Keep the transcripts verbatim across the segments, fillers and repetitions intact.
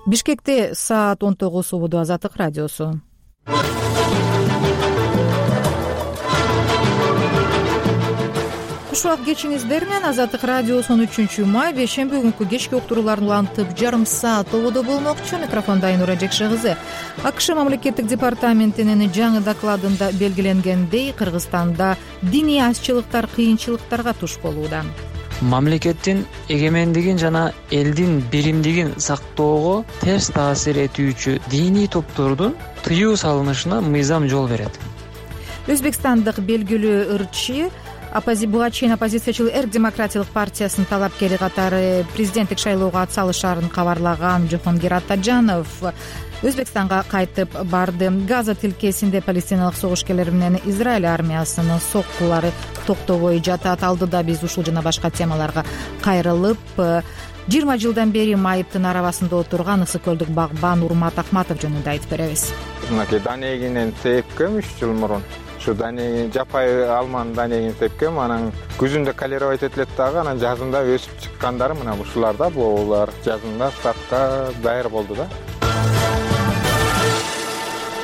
Бишкекте саат он тогуз убуду Азаттык радиосу. Куш убак кечиңиздер менен. Азаттык радиосунун үчүнчү май бейшемби күнкү кечки уктурууларын улантып жарым саат убуду болмокчу. Микрофонда Айнура Жекше кызы. АКШ мамлекеттик департаментинин жаңы докладында белгиленгендей, Кыргызстанда диний азчылыктар кыйынчылыктарга туш болууда. Мамлекеттин эгемендигин жана элдин биримдигин сактоого терс таасир этүүчү диний топтордун тыюу салынышына мыйзам жол берет. Өзбекстандык белгилүү ырчы буга чейин оппозициячыл Эрк демократиялык партиясынын талапкери катары президенттик шайлоого ат салышаарын кабарлаган Жохонгир Атаджанов Өзбекстанга кайтып барды. Газа тилкесинде палестиналык согушкерлер менен Израиль армиясынын соккулары токтобой жатат. Алдыда биз ушул жана башка темаларга кайрылып, жыйырма жылдан бери майыптын арабасында отурган Ысык көлдүк багбан Урмат Акматов жөнүндө айтып беребиз. Мынакей данегинен тепкем үч жыл мурун. Ушу дане жапай алманын данегин тепкем, анан күзүндө калеровать этилет дагы, анан жазында өсүп чыккандары мына ушуларда, булар жазында сакка даяр болду да.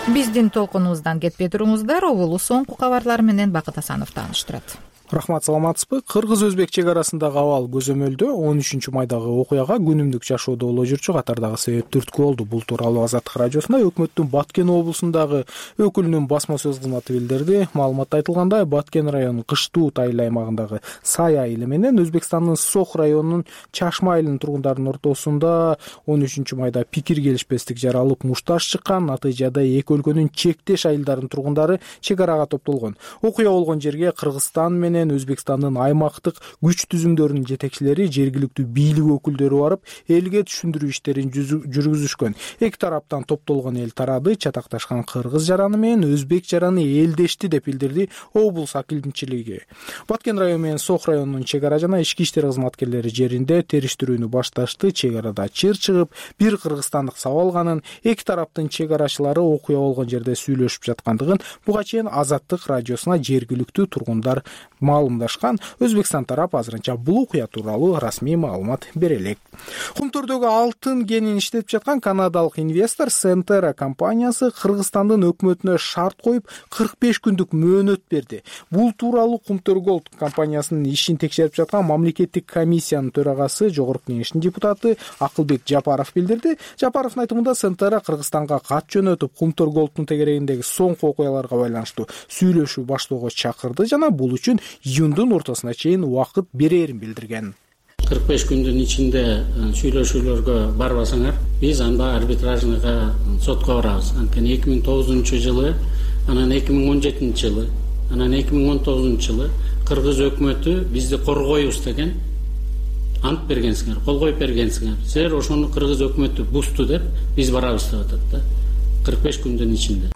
Биздин толкунубуздан кетпей туруңуздар. Обулу соңку кабарлар менен Бакыт Асанов тааныштырат. Рахмат, саламатсызбы? Кыргыз-өзбек чек арасындагы абал көзөмөлдө он үчүнчү майдагы окуяга күнүмдүк жашоодо боло жүрчү катардагы себеп түрткү болду. Бул тууралуу Азаттык радиосунда өкмөттүн Баткен облусундагы өкүлүнүн басма сөз кызматы билдирди. Маалыматта айтылгандай, Баткен районунун Кыштуу тайыл аймагындагы Сай айылы менен Өзбекстандын Сох районунун Чашма айылынын тургундарынын ортосунда он үчүнчү майда пикир келишпестик жаралып, мушташ чыккан. Натыйжада эки өлкөнүн чектеш айылдарынын тургундары чек арага топтолгон. Окуя болгон жерге Кыргызстан менен Өзбекстандын аймактык күч түзүмдөрүнүн жетекчилери, жергиликтүү бийлик өкүлдөрү барып, элге түшүндүрүү иштерин жүргүзүшкөн. Эки тараптан топтолгон эл тарады. Чатакташкан кыргыз жараны менен өзбек жараны элдешти деп билдирди облус акимчилиги. Баткен району менен Сох районунун чек ара жана ички иштер кызматкерлери жеринде териштирүүнү башташты. Чек арада чыр чыгып, бир кыргызстандык сабалганын, эки тараптын чек арачылары окуя болгон жерде сүйлөшүп жаткандыгын буга чейин Азаттык радиосуна жергиликтүү тургундар маалымдашкан. Өзбекстан тарап азырынча бул окуя тууралуу расмий маалымат бере элек. Кумтөрдөгү алтын кенин иштетип жаткан канадалык инвестор Сентера компаниясы Кыргызстандын өкмөтүнө шарт коюп кырк беш күндүк мөөнөт берди. Бул тууралуу Кумтөр Голд компаниясынын ишин текшерип жаткан мамлекеттик комиссиянын төрагасы, жогорку кеңештин депутаты Акылбек Жапаров билдирди. Жапаровдун айтымында, Сентера Кыргызстанга кат жөнөтүп, Кумтөр Голдтун тегерегиндеги соңку окуяларга байланыштуу сүйлөшүү баштоого чакырды жана бул үчүн июндун ортосуна чейин убакыт берерин билдирген. кырк беш күндүн ичинде сүйлөшүүлөргө барбасаңар, биз анда арбитражныйга сотко барабыз. Анткени эки миң тогузунчу жылы, анан эки миң он жетинчи жылы, анан эки миң он тогузунчу жылы кыргыз өкмөтү бизди коргойбуз деген ант бергенсиңер, кол коюп бергенсиңер. Силер ошону кыргыз өкмөтү бузду деп биз барабыз деп атат да. кырк беш күндүн ичинде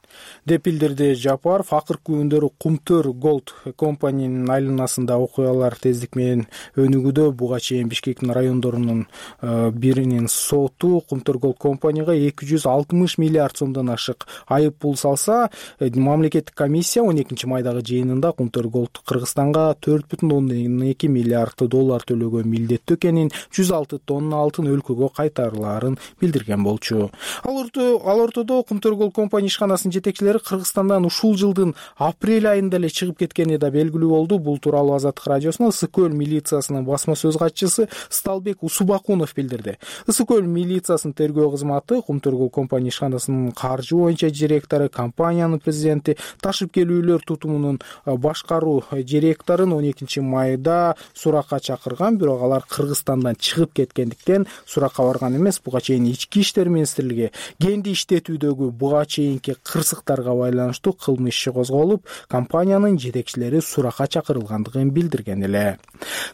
деп билдирди Жапаров. Акыркы күндөрү Кумтөр Голд компаниянын айланасында окуялар тездик менен өнүгүүдө. Буга чейин Бишкектин райондорунун биринин соту Кумтөр Голд компанияга эки жүз алтымыш миллиард сомдон ашык айып пул салса, мамлекеттик комиссия он экинчи майдагы жыйынында Кумтөр Голд Кыргызстанга төрт бүтүн ондон эки миллиард доллар төлөгөн милдеттүү экенин, жүз алты тонна алтын өлкөгө кайтарылаарын билдирген болчу. Ал ортодо Кумтөр Голд компания ишканасынын жетекчилери Кыргызстандан ушул жылдын апрель айында эле чыгып кеткени да белгилүү болду. Бул тууралуу Азаттык радиосуна Ысык көл милициясынын басма сөз катчысы Сталбек Усубакунов билдирди. Ысык көл милициясынын тергөө кызматы Кумтөр Голд компания ишканасынын каржы боюнча директору, компаниянын президенти, ташып келүүлөр тутумунун башкаруу директорун он экинчи майда суракка чакырган, бирок алар Кыргызстандан чыгып кеткендиктен суракка барган эмес. Буга чейин ички иштер министрлиги кенди иштетүүдөгү буга чейинки кырсыктарга байланыштуу кылмыш иши козголуп, компаниянын жетекчилери суракка чакырылгандыгын билдирген эле.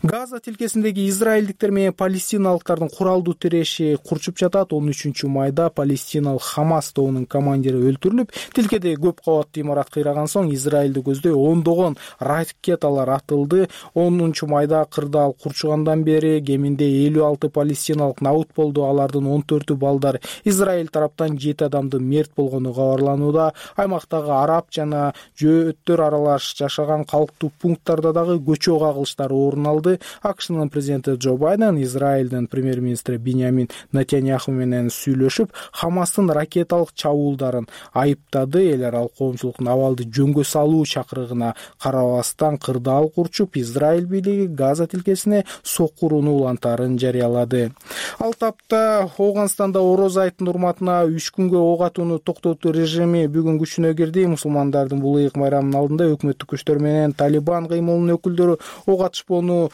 Газа тилкесиндеги израилдиктер менен палестиналыктардын куралдуу тиреши курчуп жатат. он үчүнчү майда палестиналык Хамас тобунун командири өлтүрүлүп, тилкеде көп кабаттуу имарат кыйраган соң Израилди көздөй ондогон ракеталар атылды. онунчу майда кырдаал курчугандан бери кеминде элүү алты палестиналык набут болду. Алардын он төртү балдар. Израиль тараптан жети адамдын мерт болгону кабарланууда. учурда аймактагы араб жана жөөттөр аралаш жашаган калктуу пункттарда дагы көчөө кагылыштары орун алды. АКШнын президенти Джо Байден Израилдин премьер-министри Биньямин Нетаньяху менен сүйлөшүп, Хамастын ракеталык чабуулдарын айыптады. Эл аралык коомчулуктун абалды жөнгө салуу чакырыгына карабастан кырдаал курчуп, Израиль бийлиги Газа тилкесине соккурууну улантаарын жарыялады. Ал тапта Ооганстанда Ороз айтынын урматына үч күнгө ок атууну токтотуу режими бүгүн күчүнө кирди. Мусулмандардын бул ыйык байрамынын алдында өкмөттүк күчтөр менен Талибан кыймылынын өкүлдөрү ок атышпоону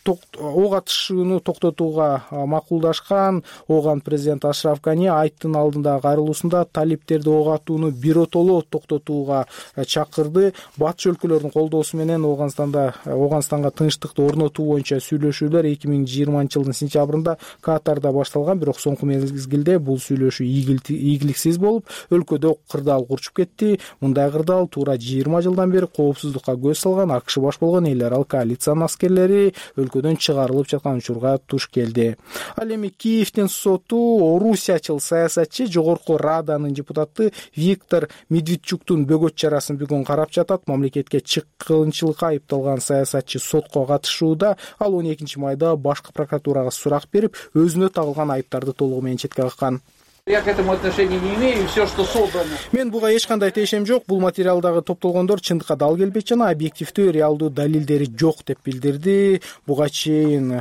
ок атышууну токтотууга макулдашкан. Ооган президент Ашраф Гани айттын алдындагы кайрылуусунда талиптерди ок атууну биротоло токтотууга чакырды. Батыш өлкөлөрдүн колдоосу менен Ооганстанда Ооганстанга тынчтыкты орнотуу боюнча сүйлөшүүлөр эки миң жыйырманчы жылдын сентябрында Катарда башталган, бирок соңку мезгилде бул сүйлөшүү ийгиликсиз болуп, өлкөдө кырдаал курчуп кетти. Мындай кырдаал туура жыйырма жылдан бери коопсуздукка көз салган АКШ баш болгон эл аралык коалициянын аскерлери өлкөдөн чыгарылып жаткан учурга туш келди. Ал эми Киевдин соту орусиячыл саясатчы жогорку Раданын депутаты Виктор Медведчуктун бөгөт чарасын бүгүн карап жатат. Мамлекетке чыккынчылыкка айыпталган саясатчы сотко катышууда. Ал он экинчи майда башкы прокуратурага сурак берип, өзүнө тагылган айыптарды толугу менен четке каккан. Я к этому отношения не имею, все, что собрано. Мен буга эч кандай тиешем жок. Бул материалдагы топтолгондор чындыкка дал келбейт жана объективдүү, реалдуу далилдери жок деп билдирди. Буга чейин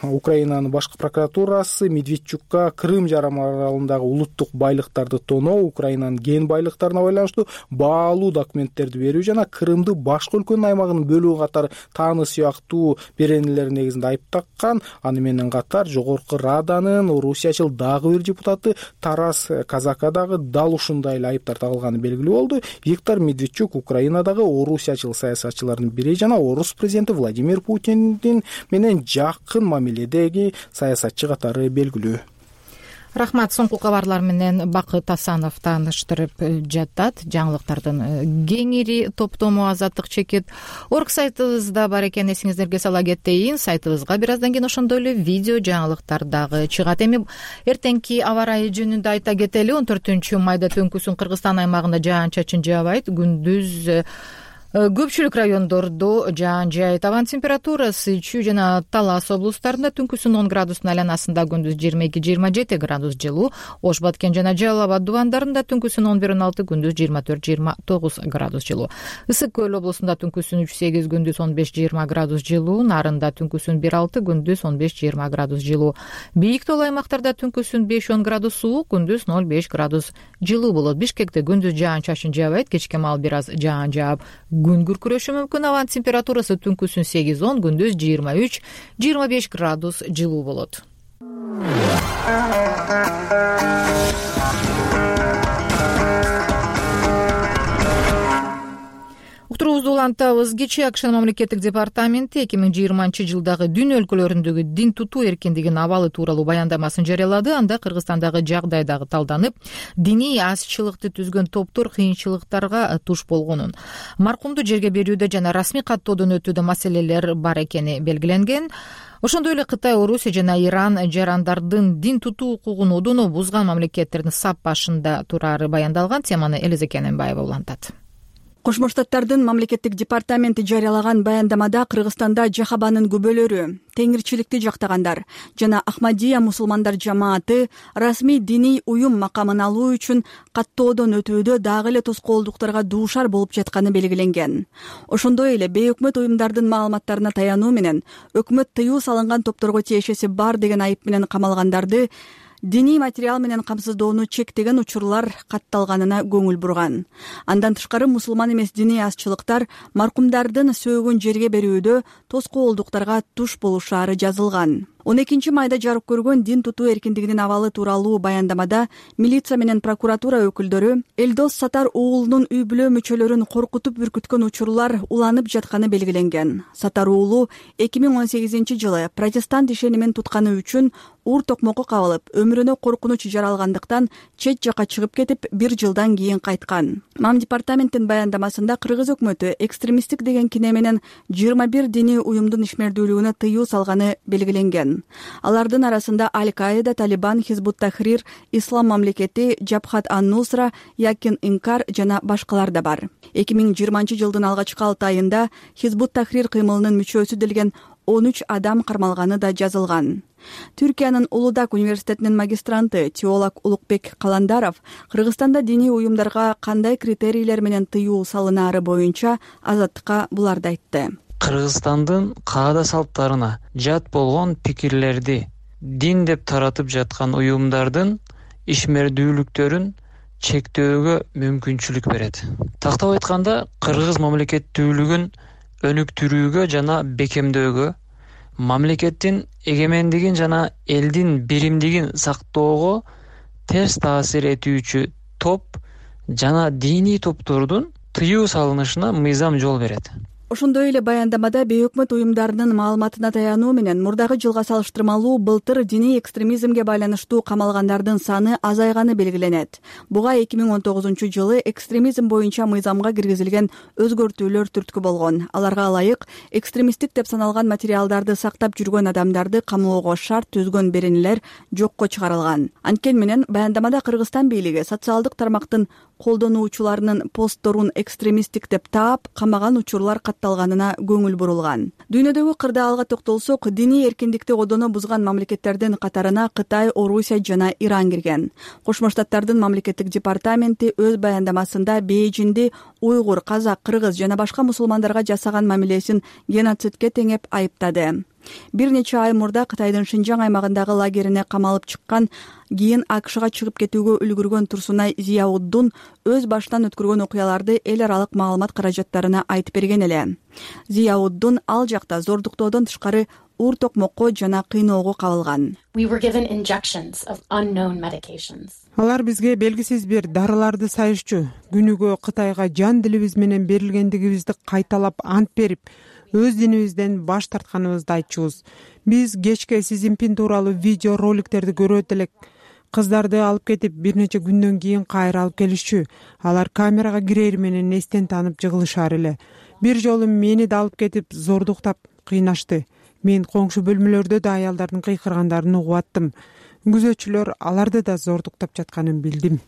Украинанын башкы прокуратурасы Медведчукка Крым жарым аралындагы улуттук байлыктарды тоноо, Украинанын кен байлыктарына байланыштуу баалуу документтерди берүү жана Крымды башка өлкөнүн аймагынын бөлүгү катары тааны сыяктуу беренелер негизинде айыптаккан. Аны менен катар жогорку Раданын орусиячыл дагы бир депутаты Тарас Казака дагы дал ушундай эле айыптар тагылганы белгилүү болду. Виктор Медведчук Украинадагы орусиячыл саясатчылардын бири жана орус президенти Владимир Путиндин менен жакын мамиледеги саясатчы катары белгилүү. Рахмат. Соңку кабарлар менен Бакыт Асанов тааныштырып жатат. Жаңылыктардын кеңири топтому Азаттык чекит орг сайтыбызда бар экен, эсиңиздерге сала кетейин. Сайтыбызга бир аздан кийин ошондой эле видео жаңылыктар дагы чыгат. Эми эртеңки аба ырайы жөнүндө айта кетели. он төртүнчү майда түнкүсүн Кыргызстан аймагында жаан-чачын жаабайт. Күндүз көпчүлүк райондордо жаан жаайт. Абанын температурасы Чүй жана Талас облустарында түнкүсүн он градустун айланасында, күндүз жыйырма эки жыйырма жети градус жылуу. Ош Баткен жана Жалал Абад дубандарында түнкүсүн он бир он алты, күндүз жыйырма төрт жыйырма тогуз градус жылуу. Ысык көл облусунда түнкүсүн үч сегиз, күндүз он беш жыйырма градус жылуу. Нарында түнкүсүн бир алты, күндүз он беш жыйырма градус жылуу. Бийик тоол аймактарда түнкүсүн беш он градус суук, күндүз ноль беш градус жылуу болот. Бишкекте күндүз жаан-чачын жаабайт, кечке маал бир аз жаан жаап күн күркүрөшү мүмкүн. Абанын температурасы түнкүсүн сегиз он, күндүз жыйырма үч жыйырма беш градус жылуу болот. Уктуруубузду улантабыз. Кечээ АКШнын мамлекеттик департаменти эки миң жыйырманчы жылдагы дүйнө өлкөлөрүндөгү дин тутуу эркиндигинин абалы тууралуу баяндамасын жарыялады. Анда Кыргызстандагы жагдай дагы талданып, диний азчылыкты түзгөн топтор кыйынчылыктарга туш болгонун, маркумду жерге берүүдө жана расмий каттоодон өтүүдө маселелер бар экени белгиленген. Ошондой эле Кытай, Орусия жана Иран жарандардын дин тутуу укугун одоно бузган мамлекеттердин сап башында турары баяндалган. Теманы Элиза Кененбаева улантат. Кошмо Штаттардын мамлекеттик департаменти жарыялаган баяндамада Кыргызстанда жахабанын күбөлөрү, теңирчиликти жактагандар жана Ахмадия мусулмандар жамааты расмий диний уюм макамын алуу үчүн каттоодон өтүүдө дагы эле тоскоолдуктарга дуушар болуп жатканы белгиленген. Ошондой эле бейөкмөт уюмдардын маалыматтарына таянуу менен өкмөт тыюу салынган топторго тиешеси бар деген айып менен камалгандарды диний материал менен камсыздоону чектеген учурлар катталганына көңүл бурган. Андан тышкары мусулман эмес диний азчылыктар маркумдардын сөөгүн жерге берүүдө тоскоолдуктарга туш болушаары жазылган. он экинчи майда жарык көргөн дин тутуу эркиндигинин абалы тууралуу баяндамада милиция менен прокуратура өкүлдөрү Элдос Сатар уулунун үй бүлө мүчөлөрүн коркутуп үркүткөн учурлар уланып жатканы белгиленген. Сатар уулу эки миң он сегизинчи жылы протестант ишенимин тутканы үчүн уур токмокко кабылып өмүрүнө коркунуч жаралгандыктан чет жакка чыгып кетип бир жылдан кийин кайткан. МАМ департаменттин баяндамасында Кыргыз өкмөтү экстремисттик деген кине менен жыйырма бир диний уюмдун ишмердүүлүгүнө тыюу салганы белгиленген. Алардын арасында Аль-Каида, Талибан, Хизбут-Тахрир, Ислам мамлекети, Жабхат ан-Нусра, Якин Инкар жана башкалар да бар. эки миң жыйырманчы жылдын алгачкы алты айында Хизбут-Тахрир кыймылынын мүчөсү делген он үч адам кармалганы да жазылган. Түркиянын Улудак университетинин магистранты теолог Улукбек Каландаров Кыргызстанда диний уюмдарга кандай критерийлер менен тыюу салынаары боюнча Азаттыкка буларды айтты. Кыргызстандын каада салттарына жат болгон пикирлерди дин деп таратып жаткан уюмдардын ишмердүүлүктөрүн чектөөгө мүмкүнчүлүк берет. Тактап айтканда, кыргыз мамлекеттүүлүгүн өнүктүрүүгө жана бекемдөөгө, мамлекеттин эгемендигин жана элдин биримдигин сактоого терс таасир этүүчү топ жана диний топтордун тыюу салынышына мыйзам жол берет. Ошондой эле баяндамада бейөкмөт уюмдарынын маалыматына таянуу менен мурдагы жылга салыштырмалуу былтыр диний экстремизмге байланыштуу камалгандардын саны азайганы белгиленет. Буга эки миң он тогузунчу жылы экстремизм боюнча мыйзамга киргизилген өзгөртүүлөр түрткү болгон. Аларга ылайык экстремисттик деп саналган материалдарды сактап жүргөн адамдарды камоого шарт түзгөн беренелер жокко чыгарылган. Анткени менен баяндамада Кыргызстан бийлиги социалдык тармактын колдонуучуларынын постторун экстремисттик деп таап, камаган учурлар катталганына көңүл бурулган. Дүйнөдөгү кырдаалга токтолсок, диний эркиндикти одоно бузган мамлекеттердин катарына Кытай, Орусия жана Иран кирген. Кошмо Штаттардын мамлекеттик департаменти өз баяндамасында Бейжинди уйгур, казак, кыргыз жана башка мусулмандарга жасаган мамилесин геноцидке теңеп айыптады. Бир нече ай мурда Кытайдын Шинжаң аймагындагы лагерине камалып чыккан, кийин АКШга чыгып кетүүгө үлгүргөн Турсунай Зияуддун өз башынан өткөргөн окуяларды эл аралык маалымат каражаттарына айтып берген эле. Зияуддун ал жакта зордуктоодон тышкары уур токмокко жана кыйноого кабылган. Алар бизге белгисиз бир дарыларды сайышчу. Күнүгө Кытайга жан дилибиз менен берилгендигибизди кайталап ант берип, өз динибизден баш тартканыбызды айтчубуз. Биз кечке Си Цзиньпин тууралуу видео роликтерди көрөт элек. Кыздарды алып кетип, бир нече күндөн кийин кайра алып келишчү. Алар камерага кирери менен эстен таанып жыгылышар эле. Бир жолу мени да алып кетип, зордуктап кыйнашты. Мен коңшу бөлмөлөрдө да аялдардын кыйкыргандарын угуп аттым. Күзөтчүлөр аларды да зордуктап жатканын билдим.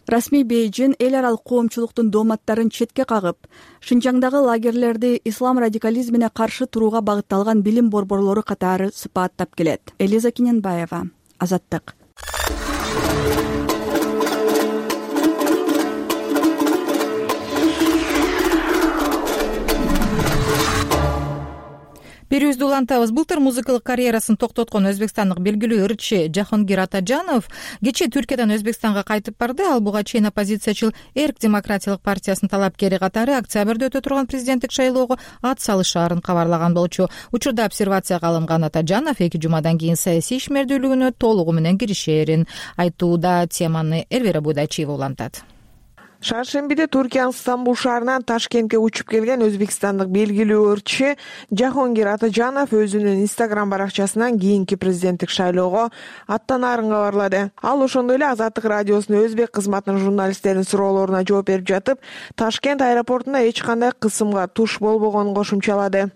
Расмий Бейжин эл аралык коомчулуктун дооматтарын четке кагып, Шинжаңдагы лагерлерди ислам радикализмине каршы турууга багытталган билим борборлору катары сыпаттап келет. Элиза Киненбаева, Азаттык. Берүүбүздү улантабыз. Былтыр музыкалык карьерасын токтоткон өзбекстандык белгилүү ырчы Жахонгир Атажанов кечээ Түркиядан Өзбекстанга кайтып барды. Ал буга чейин оппозициячыл Эрк демократиялык партиясынын талапкери катары октябрда өтө турган президенттик шайлоого ат салышаарын кабарлаган болчу. Учурда обсервацияга алынган Атажанов эки жумадан кийин саясий ишмердүүлүгүнө толугу менен киришерин айтууда. Теманы Эрвера Будачиева улантат. Шаршембиде Туркиянын Стамбул шаарынан Ташкентке учуп келген өзбекстандык белгилүү ырчы Жахонгир Атажанов өзүнүн Инстаграм баракчасынан кийинки президенттик шайлоого аттанаарын кабарлады. Ал ошондой эле Азаттык радиосунун өзбек кызматынын журналисттеринин суроолоруна жооп берип жатып, Ташкент аэропортунда эч кандай кысымга туш болбогонун кошумчалады.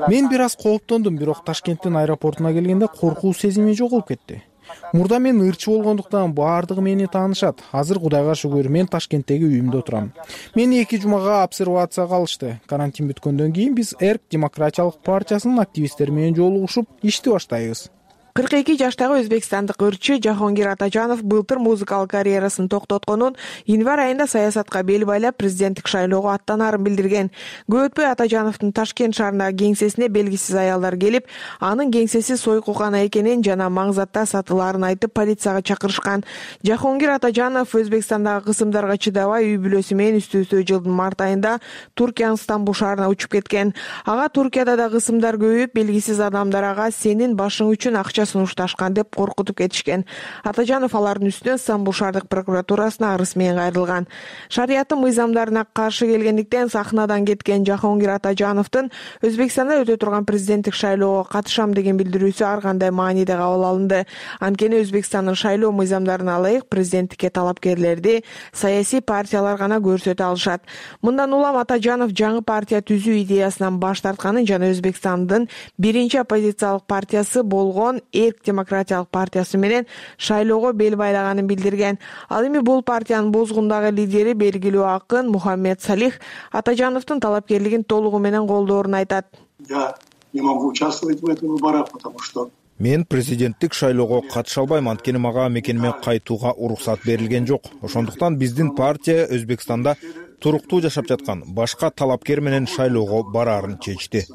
Мен бир аз кооптондум, бирок Ташкенттин аэропортуна келгенде коркуу сезими жоголуп кетти. Мурда мен ырчы болгондуктан баардыгы мени таанышат. Азыр Кудайга шүгүр, мен Ташкенттеги үйүмдө турам. Мени эки жумага обсервацияга алышты. Карантин бүткөндөн кийин биз Эрк демократиялык партиясынын активисттери менен жолугушуп, ишти баштайбыз. кырк эки жаштагы өзбекстандык ырчы Жахонгир Атажанов былтыр музыкалык карьерасын токтотконун, январь айында саясатка бел байлап президенттик шайлоого аттанаарын билдирген. Көп өтпөй Атажановдун Ташкент шаарындагы кеңсесине белгисиз аялдар келип, анын кеңсеси сойкукана экенин жана маңзатта сатылаарын айтып полицияга чакырышкан. Жахонгир Атажанов Өзбекстандагы кысымдарга чыдабай үй бүлөсү менен үстү-үстү жылдын март айында Туркиянын Стамбул шаарына учуп кеткен. Ага Туркияда да кысымдар көбөйүп, белгисиз адамдар ага сенин башың үчүн акча сунушташкан деп коркутуп кетишкен. Атажанов алардын үстүнөн Стамбул шаардык прокуратурасына арыз менен кайрылган. Шариаттын мыйзамдарына каршы келгендиктен сахнадан кеткен Жахонгир Атажановдун Өзбекстанда өтө турган президенттик шайлоого катышам деген билдирүүсү ар кандай мааниде кабыл алынды. Анткени Өзбекстандын шайлоо мыйзамдарына ылайык президенттикке талапкерлерди саясий партиялар гана көрсөтө алышат. Мындан улам Атажанов жаңы партия түзүү идеясынан баш тартканын жана Өзбекстандын биринчи оппозициялык партиясы болгон Эрк демократиялык партиясы менен шайлоого бел байлаганын билдирген. Ал эми бул партиянын бозгундагы лидери белгилүү акын Мухаммед Салих Атажановдун талапкерлигин толугу менен колдоорун айтат. Я не могу участвовать в этих выборах, потому что Мен президенттик шайлоого катыша албайм, анткени мага мекениме кайтууга уруксат берилген жок. Ошондуктан биздин партия Өзбекстанда туруктуу жашап жаткан башка талапкер менен шайлоого бараарын чечти,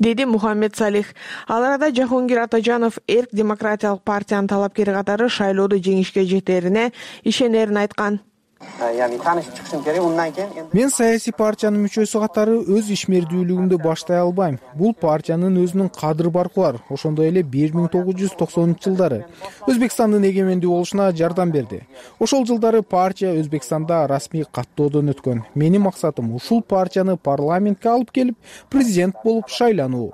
деди Мухаммед Салих. Ал арада Жахонгир Атажанов Эрк демократиялык партиянын талапкери катары шайлоодо жеңишке жетерине ишенерин айткан. Мен саясий партиянын мүчөсү катары өз ишмердүүлүгүмдү баштай албайм. Бул партиянын өзүнүн кадыр баркы бар. Ошондой эле бир миң тогуз жүз токсонунчу жылдары Өзбекстандын эгемендүү болушуна жардам берди. Ошол жылдары партия Өзбекстанда расмий каттоодон өткөн. Менин максатым ушул партияны парламентке алып келип, президент болуп шайлануу,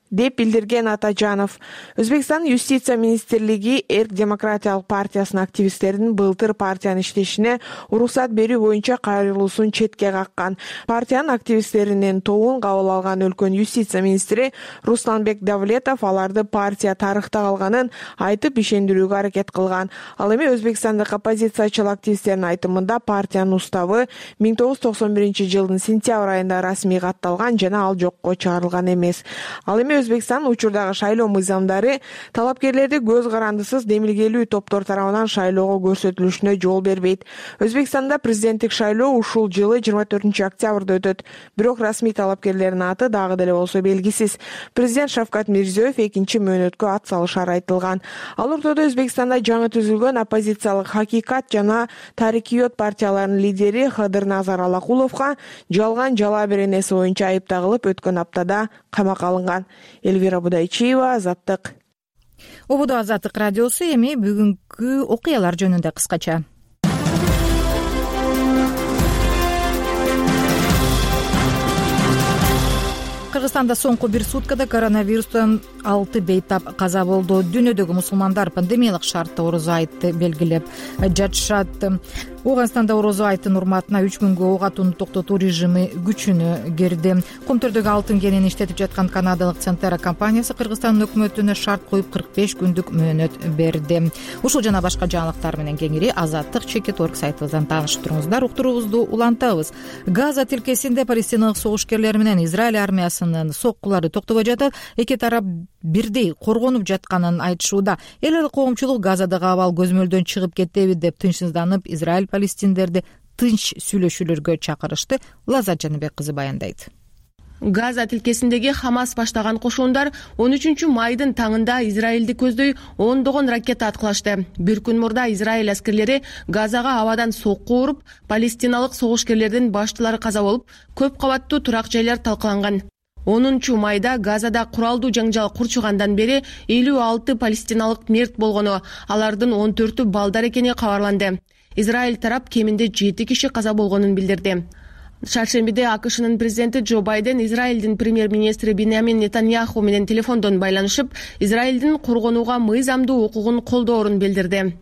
деп билдирген Атажанов. Өзбекстандын юстиция министрлиги Эрк демократиялык партиясынын активисттеринин былтыр партиянын иштешине уруксат берүү боюнча кайрылуусун четке каккан. Партиянын активисттеринин тобун кабыл алган өлкөнүн юстиция министри Русланбек Давлетов аларды партия тарыхта калганын айтып ишендирүүгө аракет кылган. Ал эми Өзбекстандык оппозициячыл активисттердин айтымында партиянын уставы миң тогуз жүз токсон биринчи жылдын сентябрь айында расмий катталган жана ал жокко чыгарылган эмес. Ал эми Өзбекстандын учурдагы шайлоо мыйзамдары талапкерлерди көз карандысыз демилгелүү топтор тарабынан шайлоого көрсөтүлүшүнө жол бербейт. Өзбекстанда президенттик шайлоо ушул жылы жыйырма төртүнчү октябрда өтөт. Бирок расмий талапкерлердин аты дагы деле болсо белгисиз. Президент Шавкат Мирзиёев экинчи мөөнөткө ат салышары айтылган. Ал ортодо Өзбекстанда жаңы түзүлгөн оппозициялык Хакикат жана Тарикиот партияларынын лидери Хадырназар Алакуловго жалган жала беренеси боюнча айып тагылып өткөн аптада камакка алынган. Эльвира Будайчиева, Азаттык. Ободо Азаттык радиосу. Эми бүгүнкү окуялар жөнүндө кыскача. Кыргызстанда соңку бир суткада коронавирустан алты бейтап каза болду. Дүйнөдөгү мусулмандар пандемиялык шартта орозо айтты белгилеп жатышат. Ооганстанда орозо айттын урматына үч күнгө ок атууну токтотуу режими күчүнө кирди. Комтөрдөгү алтын кенин иштетип жаткан канадалык Центера компаниясы Кыргызстандын өкмөтүнө шарт коюп кырк беш күндүк мөөнөт берди. Ушул жана башка жаңылыктар менен кеңири Азаттык чекит орг сайтыбыздан тааныштырыңыздар. Уктуруубузду улантабыз. Газа тилкесинде палестиналык согушкерлер менен Израиль армиясынын соккулары токтобой жатып, эки тарап бирдей коргонуп жатканын айтышууда. Эл эл коомчулук Газадагы абал көзмөлдөн чыгып кетеби деп тынчсызданып, Израиль палестиндерди тынч сүйлөшүүлөргө чакырышты. Лазат Жаныбек кызы баяндайт. Газа тилкесиндеги Хамас баштаган кошундар он үчүнчү майдын таңында Израилди көздөй ондогон ракета аткылашты. Бир күн мурда Израиль аскерлери Газага абадан сокку уруп, палестиналык согушкерлердин баштылары каза болуп, көп кабаттуу турак жайлар талкаланган. онунчу майда Газада куралдуу жаңжал курчугандан бери элүү алты палестиналык мерт болгону, алардын он төртү балдар экени кабарланды. Израиль тарап кеминде жети киши каза болгонун билдирди. Шаршембиде АКШнын президенти Джо Байден Израилдин премьер-министри Биньямин Нетаньяху менен телефондон байланышып, Израилдин коргонууга мыйзамдуу укугун колдоорун билдирди.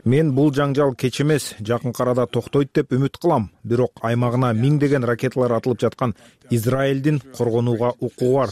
Мен бул жаңжал кеч эмес, жакынкы арада токтойт деп үмүт кылам. Бирок аймагына миңдеген ракеталар атылып жаткан Израилдин коргонууга укугу бар,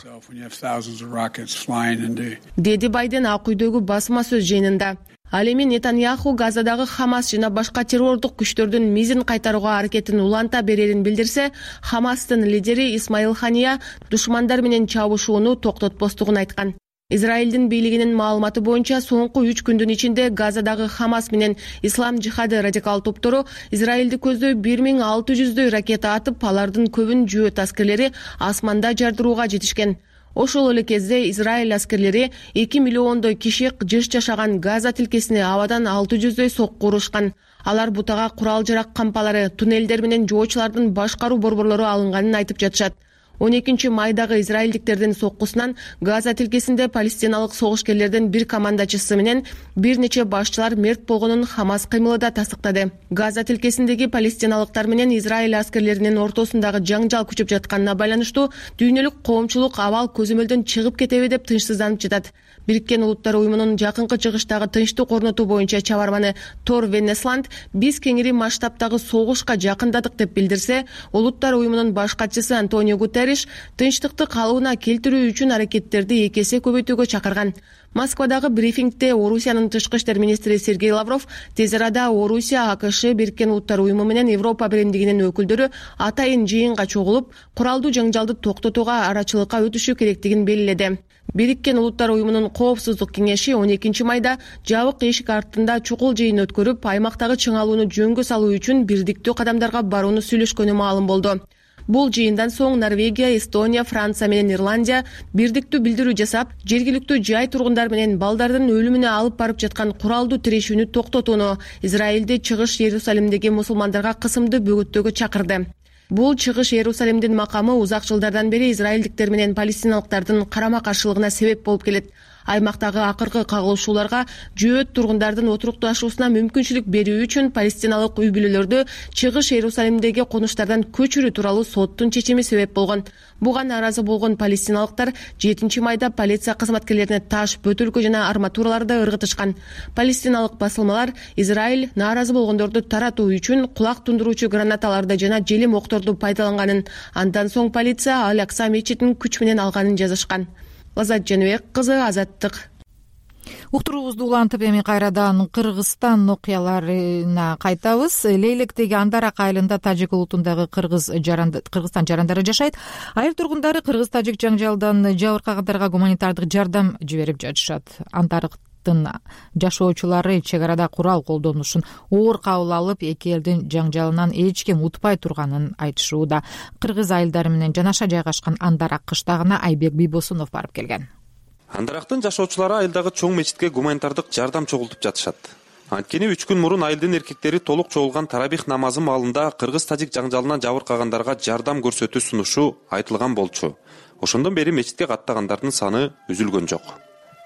деди Байден Ак үйдөгү басма сөз жыйынында. Ал эми Нетаньяху Газадагы Хамас жана башка террордук күчтөрдүн мизин кайтарууга аракетин уланта берерин билдирсе, Хамастын лидери Исмаил Хания душмандар менен чабышууну токтотпостугун айткан. Израилдин бийлигинин маалыматы боюнча соңку үч күндүн ичинде Газадагы Хамас менен Ислам жихады радикал топтору Израилди көздөй бир миң алты жүздөй ракета атып, алардын көбүн жөөт аскерлери асманда жардырууга жетишкен. Ошол эле кезде Израиль аскерлери эки миллиондой киши жыш жашаган Газа тилкесине абадан алты жүздөй сокку урушкан. Алар бутага курал жарак кампалары, туннелдер менен жоочулардын башкаруу борборлору алынганын айтып жатышат. он экинчи майдагы израилдиктердин соккусунан Газа тилкесинде палестиналык согушкерлердин бир командачысы менен бир нече башчылар мерт болгонун Хамас кыймылы да тастыктады. Газа тилкесиндеги палестиналыктар менен Израиль аскерлеринин ортосундагы жаңжал күчөп жатканына байланыштуу дүйнөлүк коомчулук абал көзөмөлдөн чыгып кетеби деп тынчсызданып жатат. Бириккен Улуттар уюмунун жакынкы чыгыштагы тынчтык орнотуу боюнча чабарманы Тор Венесланд биз кеңири масштабтагы согушка жакындадык деп билдирсе, Улуттар уюмунун баш катчысы Антонио Гутерриш тынчтыкты калыбына келтирүү үчүн аракеттерди эки эсе көбөйтүүгө чакырган. Москвадагы брифингде Орусиянын тышкы иштер министри Сергей Лавров тез арада Орусия, АКШ, Бириккен Улуттар уюму менен Европа биримдигинин өкүлдөрү атайын жыйынга чогулуп, куралдуу жаңжалды токтотууга арачылыкка өтүшү керектигин белгиледи. Бириккен Улуттар уюмунун Коопсуздук кеңеши он экинчи майда жабык эшик артында чукул жыйын өткөрүп, аймактагы чыңалууну жөнгө салуу үчүн бирдиктүү кадамдарга барууну сүйлөшкөнү маалым болду. Бул жыйындан соң Норвегия, Эстония, Франция менен Ирландия бирдиктүү билдирүү жасап, жергиликтүү жай тургундар менен балдардын өлүмүнө алып барып жаткан куралдуу тирешүүнү токтотууну, Израилди Чыгыш Иерусалимдеги мусулмандарга кысымды бөгөттөөгө чакырды. Бул Чыгыш Иерусалимдин макамы узак жылдардан бери израилдиктер менен палестиналыктардын карама-каршылыгына себеп болуп келет. Аймактагы акыркы кагылышууларга жөөт тургундардын отурукташуусуна мүмкүнчүлүк берүү үчүн палестиналык үй бүлөлөрдү Чыгыш Иерусалимдеги конуштардан көчүрүү тууралуу соттун чечими себеп болгон. Буга нааразы болгон палестиналыктар жетинчи майда полиция кызматкерлерине таш, бөтөлкө жана арматураларды ыргытышкан. Палестиналык басылмалар Израиль нааразы болгондорду таратуу үчүн кулак тундуруучу гранаталарды жана желим окторду пайдаланганын, андан соң полиция Ал-Акса мечитин күч менен алганын жазышкан. Лазат Жаныбек кызы, Азаттык. Уктуруубузду улантып эми кайрадан Кыргызстан окуяларына кайтабыз. Лейлектеги Андарак айылында тажик улутундагы кыргыз Кыргызстан жарандары жашайт. Айыл тургундары кыргыз-тажик жаңжалдан жабыркагандарга гуманитардык жардам жиберип жатышат. Андарак жашоочулары чек арада курал колдонушун оор кабыл алып, эки элдин жаңжалынан эч ким утпай турганын айтышууда. Кыргыз айылдары менен жанаша жайгашкан Андарак кыштагына Айбек Бийбосунов барып келген. Андарактын жашоочулары айылдагы чоң мечитке гуманитардык жардам чогултуп жатышат. Анткени үч күн мурун айылдын эркектери толук чогулган тарабих намазы маалында кыргыз-тажик жаңжалынан жабыркагандарга жардам көрсөтүү сунушу айтылган болчу. Ошондон бери мечитке каттагандардын саны үзүлгөн жок.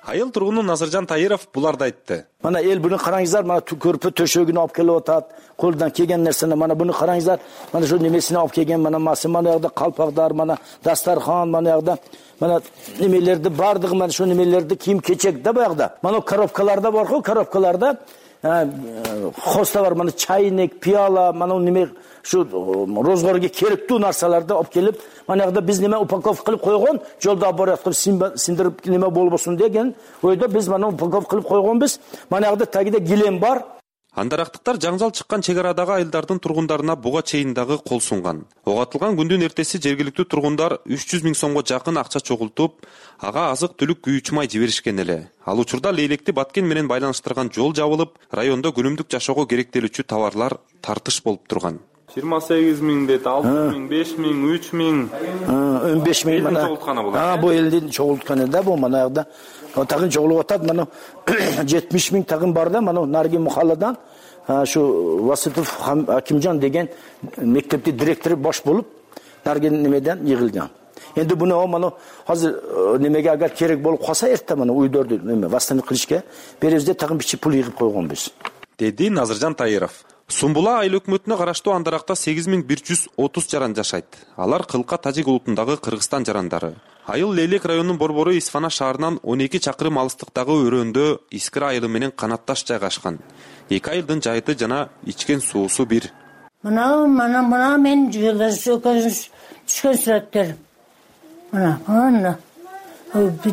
Айыл тургуну Назыржан Таиров буларды айтты. Мана эл буну караңыздар, мана көрпө төшөгүн алып келип атат. Колдон келген нерсени мана буну караңыздар. Мана ошо немесини алып келген, мана масы, мана жакта калпактар, мана дастархан, мана жакта мана немелерди бардыгы, мана ошо немелерди кийим-кечек да баягыда. Мана коробкаларда бар го, коробкаларда хоста бар, мана чайник, пиала, мана неме şu rozgorga керектүү нарсаларды алып келип, манагыда биз неме упаковка кылып койгон, жолда бараткып синдирип неме болбосун деген ойдо биз мана упаковка кылып койгонбуз. Манагыда тагида килем бар. Андарактыктар жаңжал чыккан чек арадагы айылдардын тургундарына буга чейин дагы кол сунган. Ого атылган күндүн эртеси жергиликтүү тургундар үч жүз миң сомго жакын акча чогултуп, ага азык-түлүк күйүүчү май жиберишкен эле. Ал учурда Лейлекти Баткен менен байланыштырган жол жабылып, райондо күнүмдүк жашоого керектелүүчү товарлар тартыш болуп турган. жыйырма сегиз миң дейт, алты миң, беш миң, үч миң, он беш миң мана. А, бу элдин чогултканы да бу манагыда. Тагын чогулуп атат, мана жетимиш миң тагын бар да, мана Нарги мухалладан şu Vasitov Акимжан деген мектепти директору баш болуп, Нарген немеден йыгылган. Endi bunu mana hazır немеге агар керек болуп калса эртте мана уйдорду неме вастаник кылышка беребизде тагын бичи пул йыгып койгонбуз. Деди Назыржан Таиров. Сумбула айыл өкмөтүнө караштуу Андаракта сегиз миң бир жүз отуз жаран жашайт. Алар Кылка тажик улутундагы Кыргызстан жарандары. Айыл Лейлек районунун борбору Исфана шаарынан он эки чакырым алыстыктагы өрөөндө Искира айылы менен канатташ жайгашкан. Эки айылдын жайыты жана ичкен суусу бир. Мына мына мына мен жолдош түшкөн сүрөттөр. Мына мына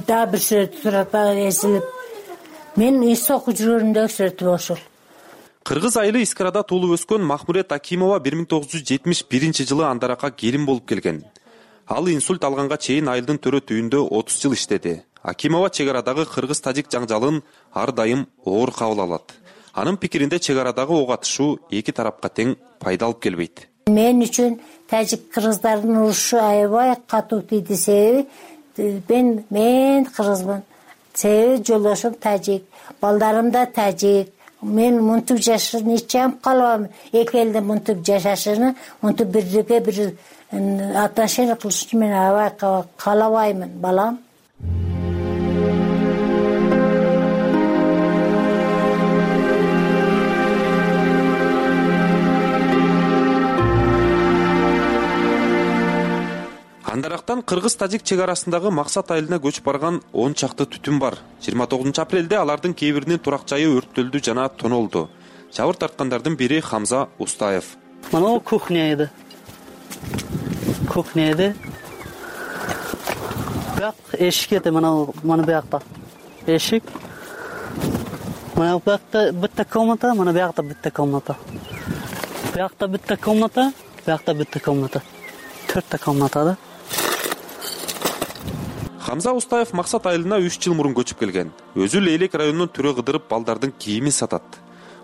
да бир сүрөт сураттар эсилип мен эс окуп жүргөндөгү сүрөтү ошол. Кыргыз айылы Искирада туулуп өскөн Махмурет Акимова бир миң тогуз жүз жетимиш биринчи жылы Андаракка келин болуп келген. Ал инсульт алганга чейин айылдын төрөт үйүндө отуз жыл иштеди. Акимова чек арадагы кыргыз-тажик жаңжалын ар дайым оор кабыл алат. Анын пикиринде чек арадагы ок атышуу эки тарапка тең пайда алып келбейт. Мен үчүн тажик кыргыздардын урушу аябай катуу тийди. Себеби мен мен кыргызмын. Себеби жолдошум тажик, балдарым да тажик. Мен мынтип жашашын эч жам калбам. Эки элдин мынтип жашашыны, мынтип бирге бир отношение кылышты мен аябай каалабаймын балам. Андарактан кыргыз-тажик чек арасындагы Максат айылына көчүп барган он чакты түтүн бар. жыйырма тогузунчу апрелде алардын кээ биринин турак жайы өрттөлдү жана тонолду. Жабыр тарткандардын бири Хамза Устаев. Мына кухня эди. Кухня эди. Бак эшик эди, мына мына бакта. Эшик. Мына бакта битта комната, мына бакта битта комната. Бакта битта комната, бакта битта комната. Төрттө комната да. Хамза Устаев Максат айылына үч жыл мурун көчүп келген. Өзү Лейлек районунун түрө кыдырып балдардын кийимин сатат.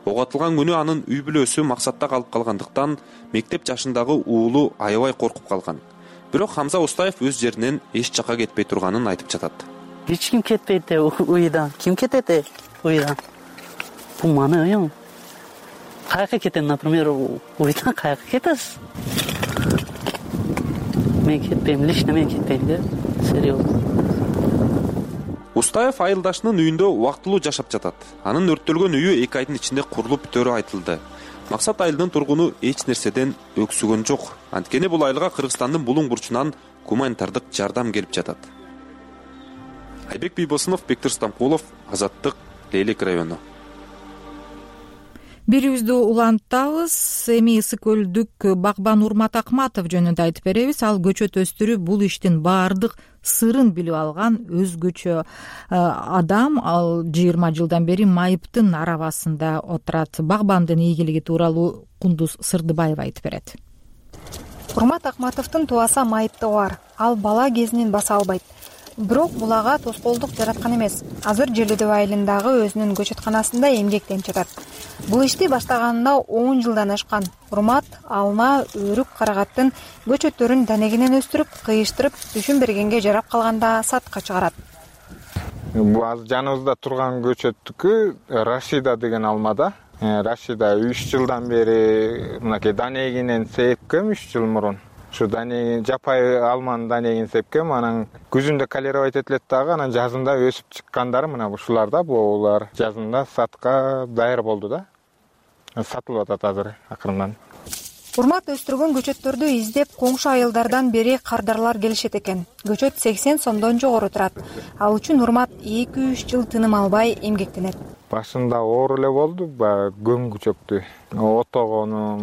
Ок атылган күнү анын үй бүлөсү Максатта калып калгандыктан мектеп жашындагы уулу аябай коркуп калган. Бирок Хамза Устаев өз жеринен эч жакка кетпей турганын айтып жатат. Эч ким кетпейт уйдан. Ким кетет уйдан? Бул маны уйум. Каяка кетем, например, уйдан каяка кетесиз? Мен кетпейм, лично мен кетпейм да. Серьезно. Устаев айылдашынын үйүндө убактылуу жашап жатат. Анын өрттөлгөн үйү эки айдын ичинде курулуп бүтөрү айтылды. Максат айылынын тургуну эч нерседен өксүгөн жок. Анткени бул айылга Кыргызстандын булуң бурчунан гуманитардык жардам келип жатат. Айбек Бийбосунов, Бектир Стамкулов, Азаттык, Лейлек району. Бирибизди улантабыз. Эми Ысык көлдүк багбан Урмат Акматов жөнүндө айтып беребиз. Ал көчөт өстүрүп, бул иштин баардык сырын билип алган өзгөчө адам. Ал жыйырма жылдан бери майыптын арабасында отурат. Багбандын ийгилиги тууралуу Кундуз Сырдыбаева айтып берет. Урмат Акматовдун тубаса майыптыгы бар. Ал бала кезинен баса албайт. Бирок бул ага тоскоолдук жараткан эмес. Азыр Желөдөб айылындагы өзүнүн көчөтканасында эмгектенип жатат. Бул ишти баштаганына он жылдан ашкан. Урмат алма, өрүк, карагаттын көчөттөрүн данегинен өстүрүп, кыйыштырып, түшүн бергенге жарап калганда сатка чыгарат. Бул азыр жаныбызда турган көчөттүкү Рашида деген алмада. Рашида үч жылдан бери мынакей данегинен сепкем үч жыл мурун. Şu dane жапай алманын данегин сепкем, анан күзүндө калеровать этилет дагы, анан жазында өсүп чыккандары мына ушулар да, булар жазында сатка даяр болду да. Сатылып атат азыр акырындан. Урмат өстүргөн көчөттөрдү издеп коңшу айылдардан бери кардарлар келишет экен. Көчөт сексен сомдон жогору турат. Ал үчүн Урмат эки үч жыл тыным албай эмгектенет. Башында оор эле болду, көңгү чөктү. Отогонум,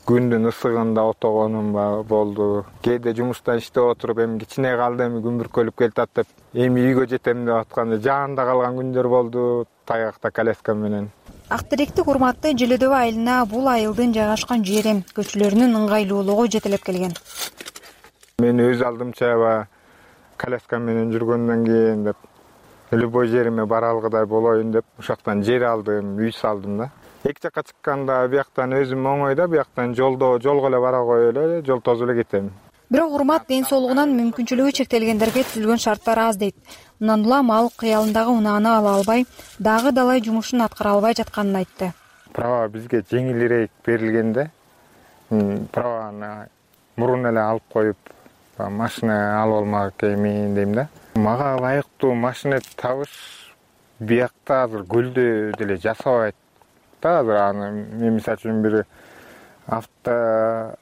күндүн ысыгында отогонум болду. Кээде жумуштан иштеп отуруп, эми кичине калды, эми күн бүркөлүп келатат деп, эми үйгө жетем деп атканда жаанда калган күндөр болду, таякта коляска менен. Ак теректик Урматты Желөдөб айылына бул айылдын жайгашкан жери көчөлөрүнүн ыңгайлуулугу жетелеп келген. Мен өз алдымча коляска менен жүргөндөн кийин деп, любой жериме бара алгыдай болоюн деп, ушактан жер алдым, үй салдым да. Эки жакка чыкканда бияктан өзүм оңойда, бияктан жолдо жолго эле бара коюп эле, жол тозуп эле кетем. Бирок Урмат ден соолугунан мүмкүнчүлүгү чектелгендерге түзүлгөн шарттар аз дейт. Мындан улам ал кыялындагы унааны ала албай, дагы далай жумушун аткара албай жатканын айтты. Права бизге жеңилирээк берилгенде, праваны мурун эле алып коюп, машина алып алмак эми дейм да. Мага ылайыктуу машина табыш биякта азыр көлдө деле жасабайт да. Азыр аны мен мисалы үчүн бир авто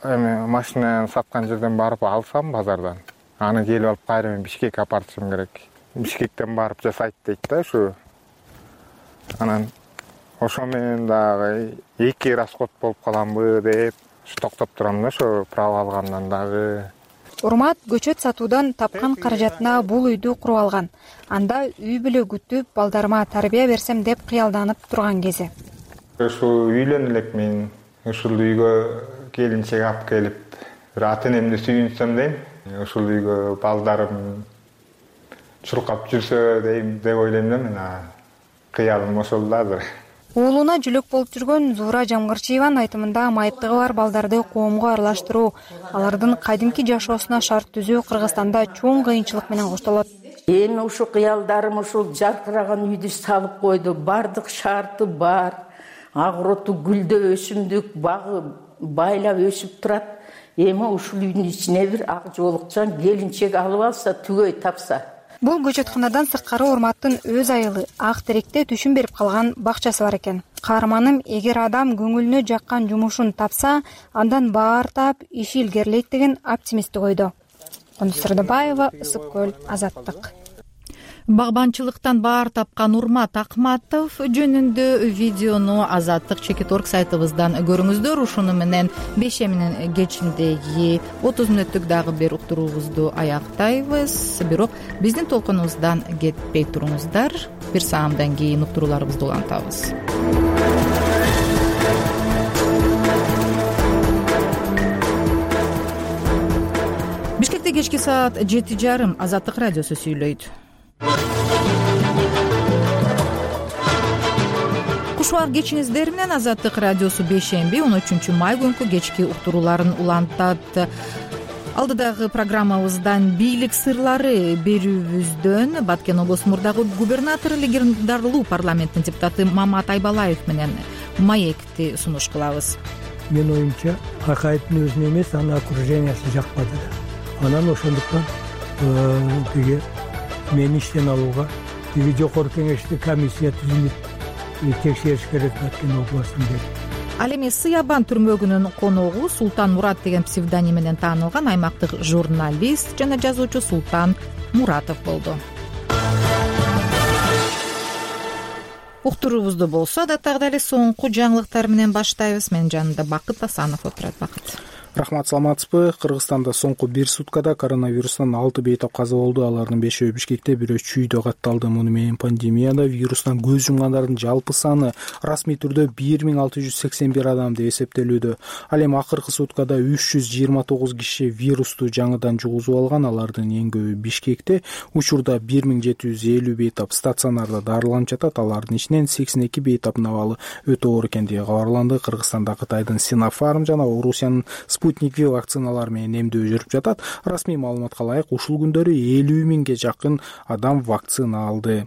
эми машина саткан жерден барып алсам базардан, аны келип алып кайра мен Бишкекке апартышым керек. Бишкектен барып жасайт дейт да ушу. Анан ошо менен дагы эки расход болуп каламбы деп токтоп турам да, ошо право алгандан дагы. Урмат көчөт сатуудан тапкан каражатына бул үйдү куруп алган. Анда үй бүлө күтүп, балдарыма тарбия берсем деп кыялданып турган кези. Ушул үйлөн элек мен ушул үйгө келинчек алып келип, бир ата энемди сүйүнсөм дейм. Ушул үйгө балдарым чуркап жүрсө дейм деп ойлойм да мен. Кыялым ошол да азыр. Уулуна жүлөк болуп жүргөн Зуура Жамгырчиеванын айтымында майыптыгы бар балдарды коомго аралаштыруу, алардын кадимки жашоосуна шарт түзүү Кыргызстанда чоң кыйынчылык менен коштолот. Эми ушул кыялдарым ушул жаркыраган үйдү салып койду. Бардык шарты бар. Агроту, гүлдө, өсүмдүк, багы байлап өсүп турат. эми ушул үйдүн ичине бир ак жоолукчан келинчек алып алса, түгөй тапса. Бул көчөтканадан сырткары Урматтын өз айылы Ак Теректе түшүн берип калган бакчасы бар экен. Каарманым эгер адам көңүлүнө жаккан жумушун тапса, андан баар таап иши илгерилейт деген оптимисттик ойдо. Кандус Сырдыбаева, Ысык көл, Азаттык. Багбанчылыктан баар тапкан Урмат Акматов жөнүндө видеону Азаттык чекит орг сайтыбыздан көрүңүздөр. Ушуну менен бешеминин кечиндеги отуз мүнөттүк дагы бир уктуруубузду аяктайбыз. Бирок биздин толкунубуздан кетпей туруңуздар. Бир саамдан кийин уктурууларыбызды улантабыз. Бишкекте кечки саат жети жарым Азаттык радиосу сүйлөйт. Кушубар кечиңиздер менен Азаттык радиосу бейшемби он үчүнчү май күнкү кечки уктурууларын улантат. Алдыдагы программабыздан бийлик сырлары берүүбүздөн Баткен облусу мурдагы губернатору легендардуу парламенттин депутаты Мамат Айбалаев менен маекти сунуш кылабыз. Мен оюмча Акаевдин өзүнө эмес, анын окружениясы жакпады. Анан ошондуктан тиги мени иштен алууга тиги жогорку кеңеште комиссия түзүлүп текшериш керек Баткен областын деп. Ал эми Сыябан түрмөгүнүн коногу Султан Мурат деген псевдоним менен таанылган аймактык журналист жана жазуучу Султан Муратов болду. Уктуруубузду болсо да дагы эле соңку жаңылыктар менен баштайбыз. Менин жанымда Бакыт Асанов отурат. Бакыт. Рахмат, саламатсызбы? Кыргызстанда соңку бир суткада коронавирустан алты бейтап каза болду. Алардын бешөө Бишкекте, бирөө Чүйдө катталды. Муну менен пандемияда вирустан көз жумгандардын жалпы саны расмий түрдө бир миң алты жүз сексен бир адам деп эсептелүүдө. Ал эми акыркы суткада үч жүз жыйырма тогуз киши вирусту жаңыдан жугузуп алган. Алардын эң көбү Бишкекте. Учурда бир миң жети жүз элүү бейтап стационарда дарыланып жатат. Алардын ичинен сексен эки бейтаптын абалы өтө оор экендиги кабарланды. Кыргызстанда Кытайдын Синофарм жана Орусиянын Спутник V вакциналар менен эмдөө жүрүп жатат. Расмий маалыматка ылайык ушул күндөрү элүү миңге жакын адам вакцина алды.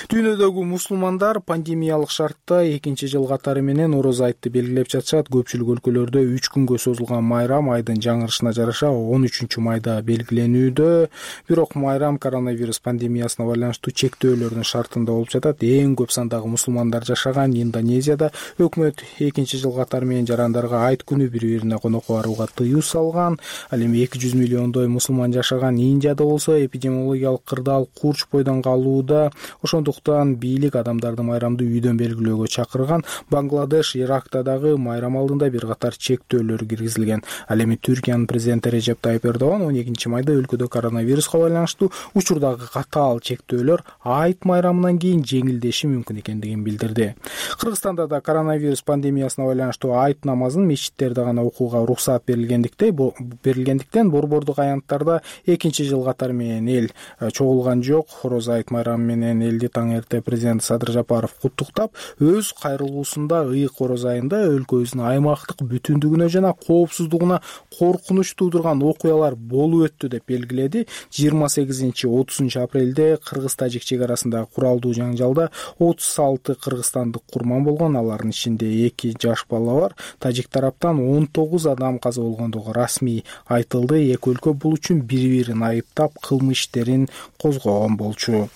Дүйнөдөгү мусулмандар пандемиялык шартта экинчи жыл катары менен Ороз айтты белгилеп жатышат. Көпчүлүк өлкөлөрдө үч күнгө созулган майрам айдын жаңырышына жараша он үчүнчү майда белгиленүүдө. Бирок майрам коронавирус пандемиясына байланыштуу чектөөлөрдүн шартында болуп жатат. Эң көп сандагы мусулмандар жашаган Индонезияда өкмөт экинчи жыл катары менен жарандарга айт күнү бири-бирине конокко барууга тыюу салган. Ал эми эки жүз миллиондой мусулман жашаган Индияда болсо эпидемиологиялык кырдаал курч бойдон калууда. Ошондуктан бийлик адамдарды майрамды үйдөн белгилөөгө чакырган. Бангладеш, Иракта дагы майрам алдында бир катар чектөөлөр киргизилген. Ал эми Түркиянын президенти Режеп Тайып Эрдоган он экинчи майда өлкөдө коронавируска байланыштуу учурдагы катаал чектөөлөр айт майрамынан кийин жеңилдеши мүмкүн экендигин билдирди. Кыргызстанда да коронавирус пандемиясына байланыштуу айт намазын мечиттерде гана окууга уруксат берилгендиктен берилгендиктен борбордук аянттарда экинчи жыл катары менен эл чогулган жок. Ороз айт майрамы менен элди таң эрте президент Садыр Жапаров куттуктап, өз кайрылуусунда ыйык Ороз айында өлкөбүздүн аймактык бүтүндүгүнө жана коопсуздугуна коркунуч туудурган окуялар болуп өттү деп белгиледи. жыйырма сегизинчи отузунчу апрелде Кыргыз-Тажик чек арасындагы куралдуу жаңжалда отуз алты кыргызстандык курман болгон. Алардын ичинде эки жаш бала бар. Тажик тараптан он тогуз адам каза болгондугу расмий айтылды. Эки өлкө бул үчүн бири-бирин айыптап, кылмыш иштерин козгогон болчу.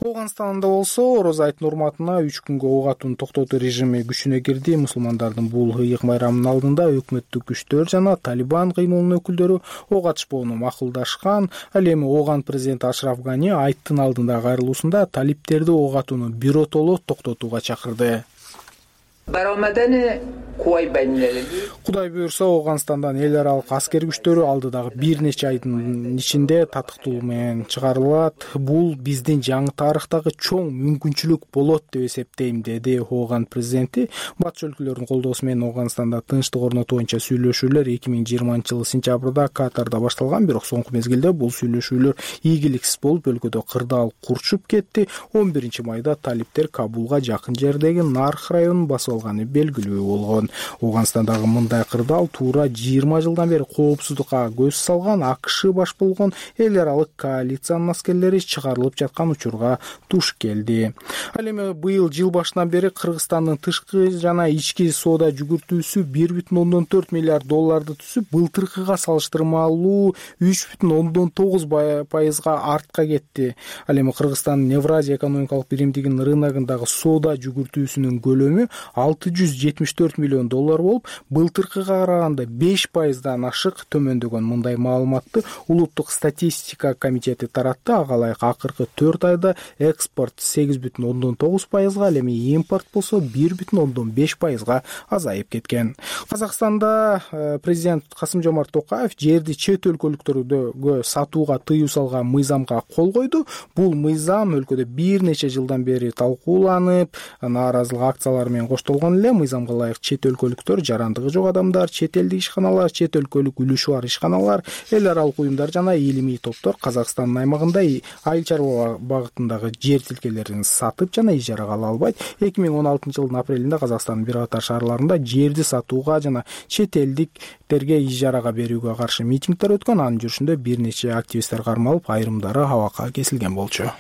Ооганстанда болсо Ороз айттын урматына үч күнгө ок атууну токтотуу режими күчүнө кирди. Мусулмандардын бул ыйык майрамынын алдында өкмөттүк күчтөр жана Талибан кыймылынын өкүлдөрү ок атышпоону макулдашкан. Ал эми Ооган президенти Ашраф Гани айттын алдында кайрылуусунда талиптерди ок атууну биротоло токтотууга чакырды. Кудай буйрса, Ооганстандан эл аралык аскер күчтөрү алдыдагы бир нече айдын ичинде татыктуу менен чыгарылат. Бул биздин жаңы тарыхтагы чоң мүмкүнчүлүк болот деп эсептейм, деди Ооган президенти. Батыш өлкөлөрдүн колдоосу менен Ооганстанда тынчтык орнотуу боюнча сүйлөшүүлөр эки миң жыйырманчы жылы сентябрда Катарда башталган, бирок соңку мезгилде бул сүйлөшүүлөр ийгиликсиз болуп, өлкөдө кырдаал курчуп кетти. он биринчи майда талиптер Кабулга жакын жердеги Нарх районун басып салганы белгилүү болгон. Ооганстандагы мындай кырдаал туура жыйырма жылдан бери коопсуздукка көз салган АКШ баш болгон эл аралык коалициянын аскерлери чыгарылып жаткан учурга туш келди. Ал эми быйыл жыл башынан бери Кыргызстандын тышкы жана ички соода жүгүртүүсү бир бүтүн ондон төрт миллиард долларды түзүп, былтыркыга салыштырмалуу үч бүтүн ондон тогуз пайызга артка кетти. Ал эми Кыргызстандын Евразия экономикалык биримдигинин рыногундагы соода жүгүртүүсүнүн көлөмү алты жүз жетимиш төрт миллион доллар болуп, былтыркыга караганда беш пайыздан ашык төмөндөгөн. Мындай маалыматты Улуттук статистика комитети таратты. Ага ылайык акыркы төрт айда экспорт сегиз бүтүн ондон тогуз пайызга, ал эми импорт болсо бир бүтүн ондон беш пайызга азайып кеткен. Казакстанда президент Касым-Жомарт Токаев жерди чет өлкөлүктөргө сатууга тыюу салган мыйзамга кол койду. Бул мыйзам өлкөдө бир нече жылдан бери талкууланып, нааразылык акциялары менен коштолгон эле. Мыйзамга ылайык чет өлкөлүктөр, жарандыгы жок адамдар, чет элдик ишканалар, чет өлкөлүк үлүшү бар ишканалар, эл аралык уюмдар жана илимий топтор Казакстандын аймагында айыл чарба багытындагы жер тилкелерин сатып жана ижарага ала албайт. эки миң он алтынчы жылдын апрелинде Казакстандын бир катар шаарларында жерди сатууга жана чет элдиктерге ижарага берүүгө каршы митингдер өткөн. Анын жүрүшүндө бир нече активисттер кармалып, айрымдары абакка кесилген болчу.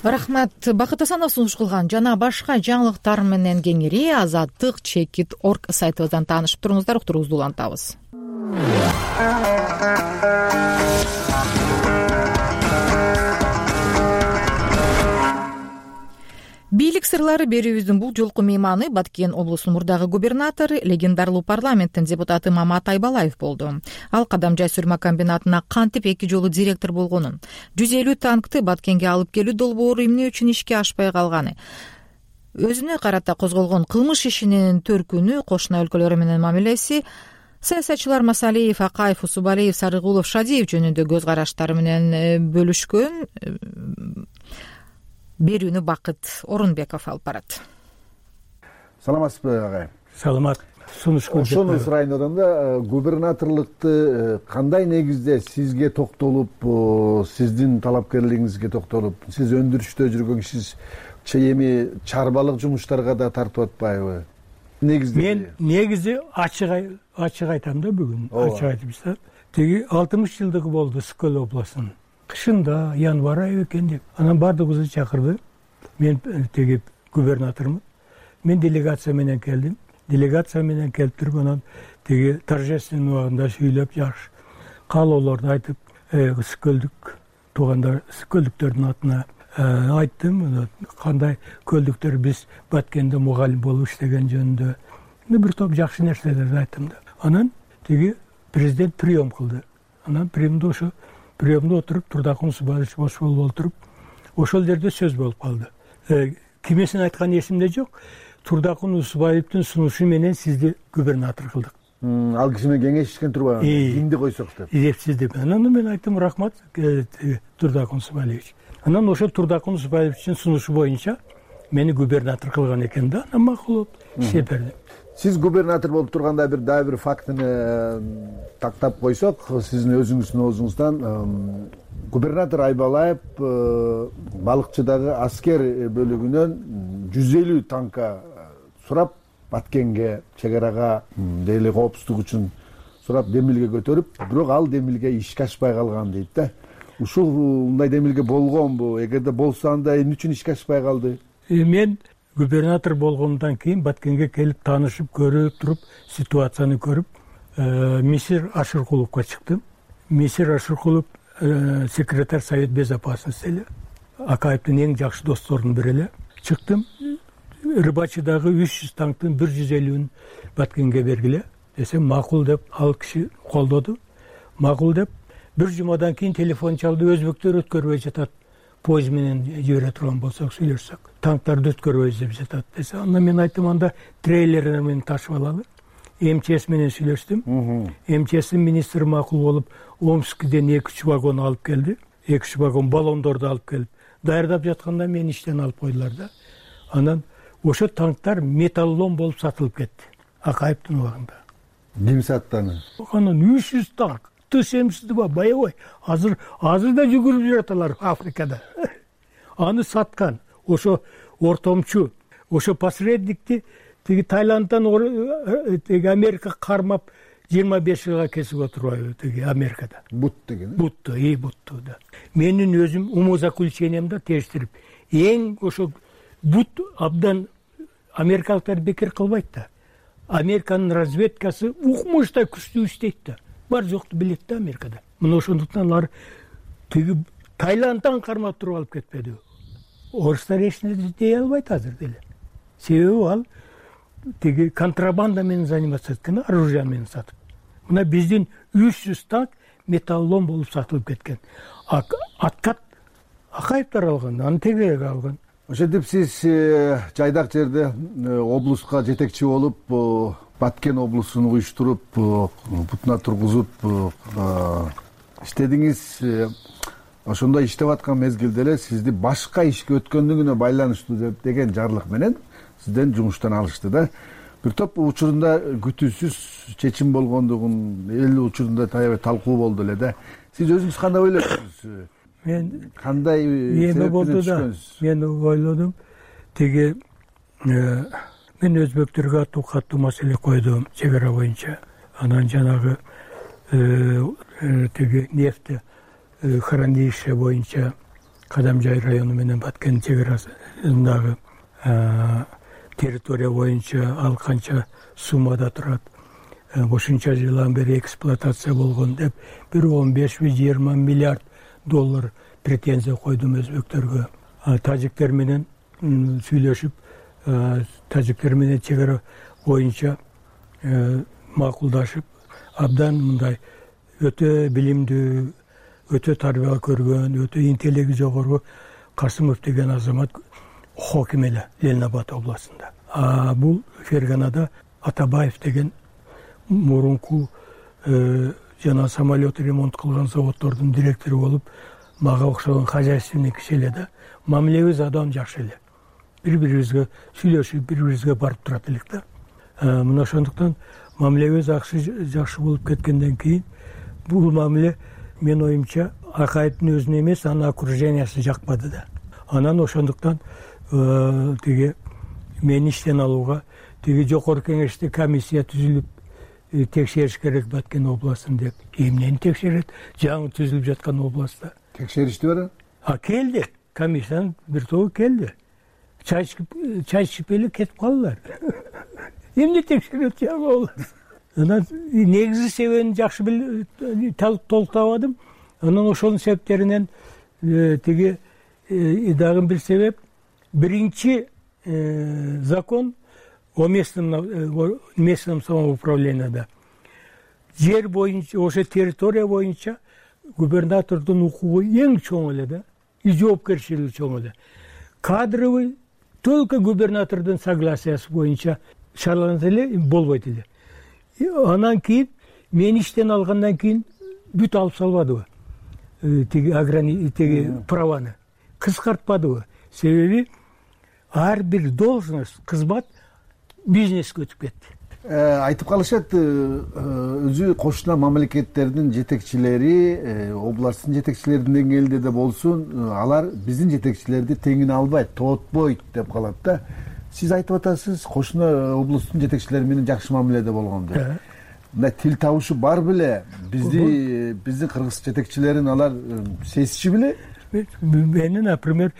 Рахмат. Бакыт Асанов сунуш кылган жана башка жаңылыктар менен кеңири Азаттык чекит точка орг сайтыбыздан таанышып туруңуздар. Уктуруубузду улантабыз. Бийлик сырлары берүүбүздүн бул жолку мейманы Баткен облусунун мурдагы губернатору, легендарлуу парламенттин депутаты Мамат Айбалаев болду. Ал Кадамжай сүрмө комбинатына кантип эки жолу директор болгонун, жүз элүү танкты Баткенге алып келүү долбоору эмне үчүн ишке ашпай калганы, өзүнө карата козголгон кылмыш ишинин төркүнү, кошуна өлкөлөр менен мамилеси, саясатчылар Масалиев, Акаев, Усубалиев, Сарыгулов, Шадиев жөнүндө көз караштары менен бөлүшкөн берүүнү Бакыт Орунбеков алып барат. Саламатсызбы агай? Саламат. Сунуш көрдүк. Ошону сурайын одан губернаторлукты кандай негизде сизге токтолуп, сиздин талапкерлигиңизге токтолуп, сиз өндүрүштө жүргөн кишисиз, эми чарбалык жумуштарга да тартып атпайбы? Негизде мен негизи ачык ачык айтам да бүгүн. Ачык айтып, теги алтымыш жылдыгы болду Скөл областынын. Кышында январь айы экен деп, анан баардыгыбызды чакырды. Мен теги губернатормун. Мен делегация менен келдим. Делегация менен келип туруп, анан теги торжественный убагында сүйлөп, жакшы каалоолорду айтып, Скөлдүк туугандар, Скөлдүктөрдүн атына айттым. Кандай көлдүктөр биз Баткенде мугалим болуп иштеген жөнүндө бир топ жакшы нерселерди айттым да. Анан теги президент прием кылды. Анан приемде ошо приемде отуруп, Турдакун Усубалиевич бош болуп отуруп, ошол жерде сөз болуп калды. Кимесин айтканы эсимде жок. Турдакун Усубалиевдин сунушу менен сизди губернатор кылдык. Ал киши менен кеңешишкен турбаган, кимди койсок деп. Депсиз деп. Анан мен айттым, рахмат Турдакун Усубалиевич. Анан ошол Турдакун Усубалиевичтин сунушу боюнча мени губернатор кылган экен да. Анан макул болуп иштеп бердим. Сиз губернатор болуп турганда бир дагы бир фактыны тактап койсок, сиздин өзүңүздүн оозуңуздан губернатор Айбалаев балыкчыдагы аскер бөлүгүнөн жүз элүү танка сурап, Баткенге, чек арага дейли коопсуздук үчүн сурап демилге көтөрүп, бирок ал демилге ишке ашпай калган дейт да. Ушундай демилге болгонбу? Эгерде болсо, анда эмне үчүн ишке ашпай калды? Мен губернатор болгондон кийин Баткенге келип таанышып, көрүп туруп, ситуацияны көрүп, Мисир Ашыркуловго чыктым. Мисир Ашыркулов секретарь Совет безопасности эле, Акаевдин эң жакшы досторунун бири эле. Чыктым. Рыбачыдагы үч жүз танктын бир жүз элүүн Баткенге бергиле десем, макул деп, ал киши колдоду. Макул деп, бир жумадан кийин телефон чалды, өзбектер өткөрбөй жатат. Поезд менен жибере турган болсок, сүйлөшсөк, танктарды өткөрбөй деп жатат десе, анда мен айттым, анда трейлер менен ташып алалы. МЧС менен сүйлөштүм. МЧСтин министри макул болуп, Омскиден эки үч вагон алып келди. эки үч вагон баллондорду алып келип, даярдап жатканда мени иштен алып койдулар да. Анан ошо танктар металлолом болуп сатылып кетти. Акаевдин убагында. Ким сатты аны? Анан үч жүз танк. Тысемсиздиба, боевой. Азыр азыр да жүгүрүп жаталар Африкада. Аны саткан ошо ортомчу, ошо посредникти тиги Таиланддан тиги Америка кармап жыйырма беш жылга кесип отурбайбы тиги Америкада. Бут деген. Бутту, и бутту да. Менин өзүм умозаключениямда тештирип, эң ошо бут абдан америкалыктар бекер кылбайт да. Американын разведкасы укмуштай күчтүү иштейт да. Бар жокту билет да Америкада. Мына ошондуктан алар тиги Таиланддан кармап туруп алып кетпеди. Орустар эч нерсе дей албайт азыр деле. Себеби ал тиги контрабанда менен заниматься эткен, оружие менен сатып. Мына биздин үч жүз танк металлолом болуп сатылып кеткен. Откат Акаевдер алган, аны тегерек алган. Ошентип сиз жайдак жерде облуска жетекчи болуп, Баткен облусун уюштуруп, бутуна тургузуп иштедиңиз. Ошондой иштеп аткан мезгилде эле сизди башка ишке өткөндүгүнө байланыштуу деген жарлык менен сизден жумуштан алышты да. Бир топ учурунда күтүүсүз чечим болгондугун эл учурунда таябай талкуу болду эле да. Сиз өзүңүз кандай ойлойсуз? Мен кандай эме болду да. Мен ойлодум. Тиги мен өзбектөргө аттуу каттуу маселе койдум чек ара боюнча. Анан жанагы тиги нефти хранилище боюнча Кадамжай району менен Баткен чек арасындагы территория боюнча ал канча суммада турат, ошонча жылдан бери эксплуатация болгон деп бир он беш жыйырма миллиард доллар претензия койдум өзбектөргө. Тажиктер менен сүйлөшүп, тажиктер менен чек ара боюнча макулдашып, абдан мындай өтө билимдүү, өтө тарбия көргөн, өтө интеллекти жогору Касымов деген азамат хоким эле Ленинабад областында. А бул Ферганада Атабаев деген мурунку жана самолет ремонт кылган заводдордун директору болуп, мага окшогон хозяйственный киши эле да. Мамилебиз адам жакшы эле. Бири-бирибизге сүйлөшүп, бири-бирибизге барып турат элек да. Мына ошондуктан мамилебиз жакшы болуп кеткенден кийин бул мамиле мен оюмча Акаевдин өзүнө эмес, анын окружениясы жакпады да. Анан ошондуктан тиги мени иштен алууга тиги жогорку кеңеште комиссия түзүлүп текшериш керек Баткен областын деп. Эмнени текшерет? Жаңы түзүлүп жаткан областта. Текшеришти бара? А келди. Комиссиянын бир тобу келди. Чай ичип, чай ичип эле кетип калдылар. Эмне текшерет жаңы? Анан негизи себебин жакшы билип толуктабадым. Анан ошонун себептеринен тиги дагы бир себеп, биринчи закон о местном местном самоуправленияда жер боюнча, ошо территория боюнча губернатордун укугу эң чоң эле да, и жоопкерчилиги чоң эле. Кадровый только губернатордун согласиясы боюнча шараланса эле болбойт эле. Анан кийин мен иштен алгандан кийин бүт алып салбадыбы тиги аграни тиги праваны кыскартпадыбы. Себеби ар бир должность, кызмат бизнеске өтүп кетти. Айтып калышат, өзү кошуна мамлекеттердин жетекчилери, областтын жетекчилеринин деңгээлинде да болсун, алар биздин жетекчилерди теңине албайт, тоотпойт деп калат да. Сиз айтып атасыз, кошуна областтын жетекчилери менен жакшы мамиледе болгон деп. Мына тил табышы бар беле? Бизди биздин кыргыз жетекчилерин алар сезиши беле? Мени, например,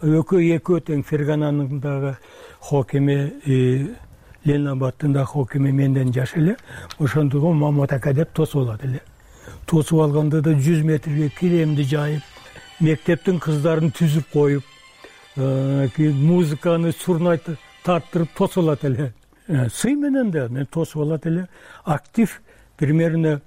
экөө экөө тең Фергананын дагы хокими, Ленинабадтын да хокими менден жаш эле. Ошондуктан Мамат ака деп тосуп алат эле. Тосуп алганда да жүз метрге киремди жайып, мектептин кыздарын түзүп коюп, музыканы сурнай тарттырып тосуп алат эле. Сый менен да мен тосуп алат эле. Актив примерно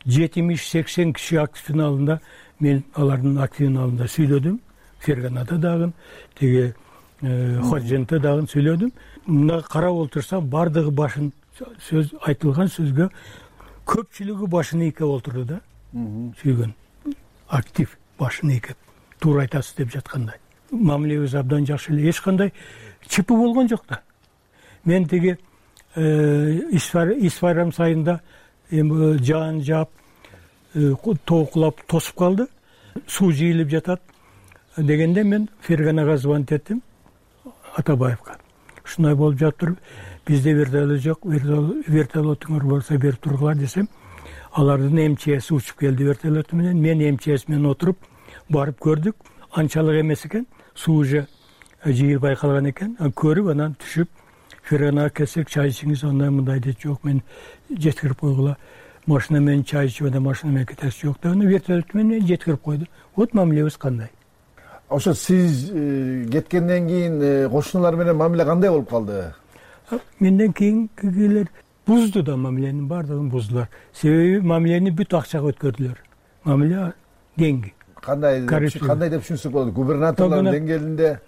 жетимиш сексен киши активдин алдында, мен алардын активдин алдында сүйлөдүм. Ферганада дагы, тиги Ходжентте дагы сүйлөдүм. Мына карап олтурсам, бардыгы башын сөз айтылган сөзгө көпчүлүгү башын ийкеп олтурду да. Сүйгөн. Актив башын ийкеп. Туура айтасыз деп жаткандай. Мамилебиз абдан жакшы эле. Эч кандай чипи болгон жок да. Мен тиги Исфайрам сайында жаан жаап, тоокулап тосуп калды. Суу жыйылып жатат дегенде мен Ферганага звонить эттим, Атабаевга. Ушундай болуп жатыр. бизде вертолет жок, вертолетуңар болсо берип тургула десем, алардын МЧСи учуп келди вертолету менен. Мен МЧС менен отуруп барып көрдүк. Анчалык эмес экен, суу уже жыйылбай калган экен. Көрүп анан түшүп ферганага келсек, чай ичиңиз, андай мындай дейт. Жок, мен жеткирип койгула, машина менен чай ичип анан машина менен кетесиз. Жок деп, вертолет менен жеткирип койду. Вот мамилебиз кандай. Ошо сиз кеткенден кийин кошуналар менен мамиле кандай болуп калды? Менден кийинкилер бузду да, мамиленин баардыгын буздулар. Себеби мамилени бүт акчага өткөрдүлөр. Мамиле кеңги. Кандай кандай деп түшүнсөк болот? Губернаторлор деңгээлинде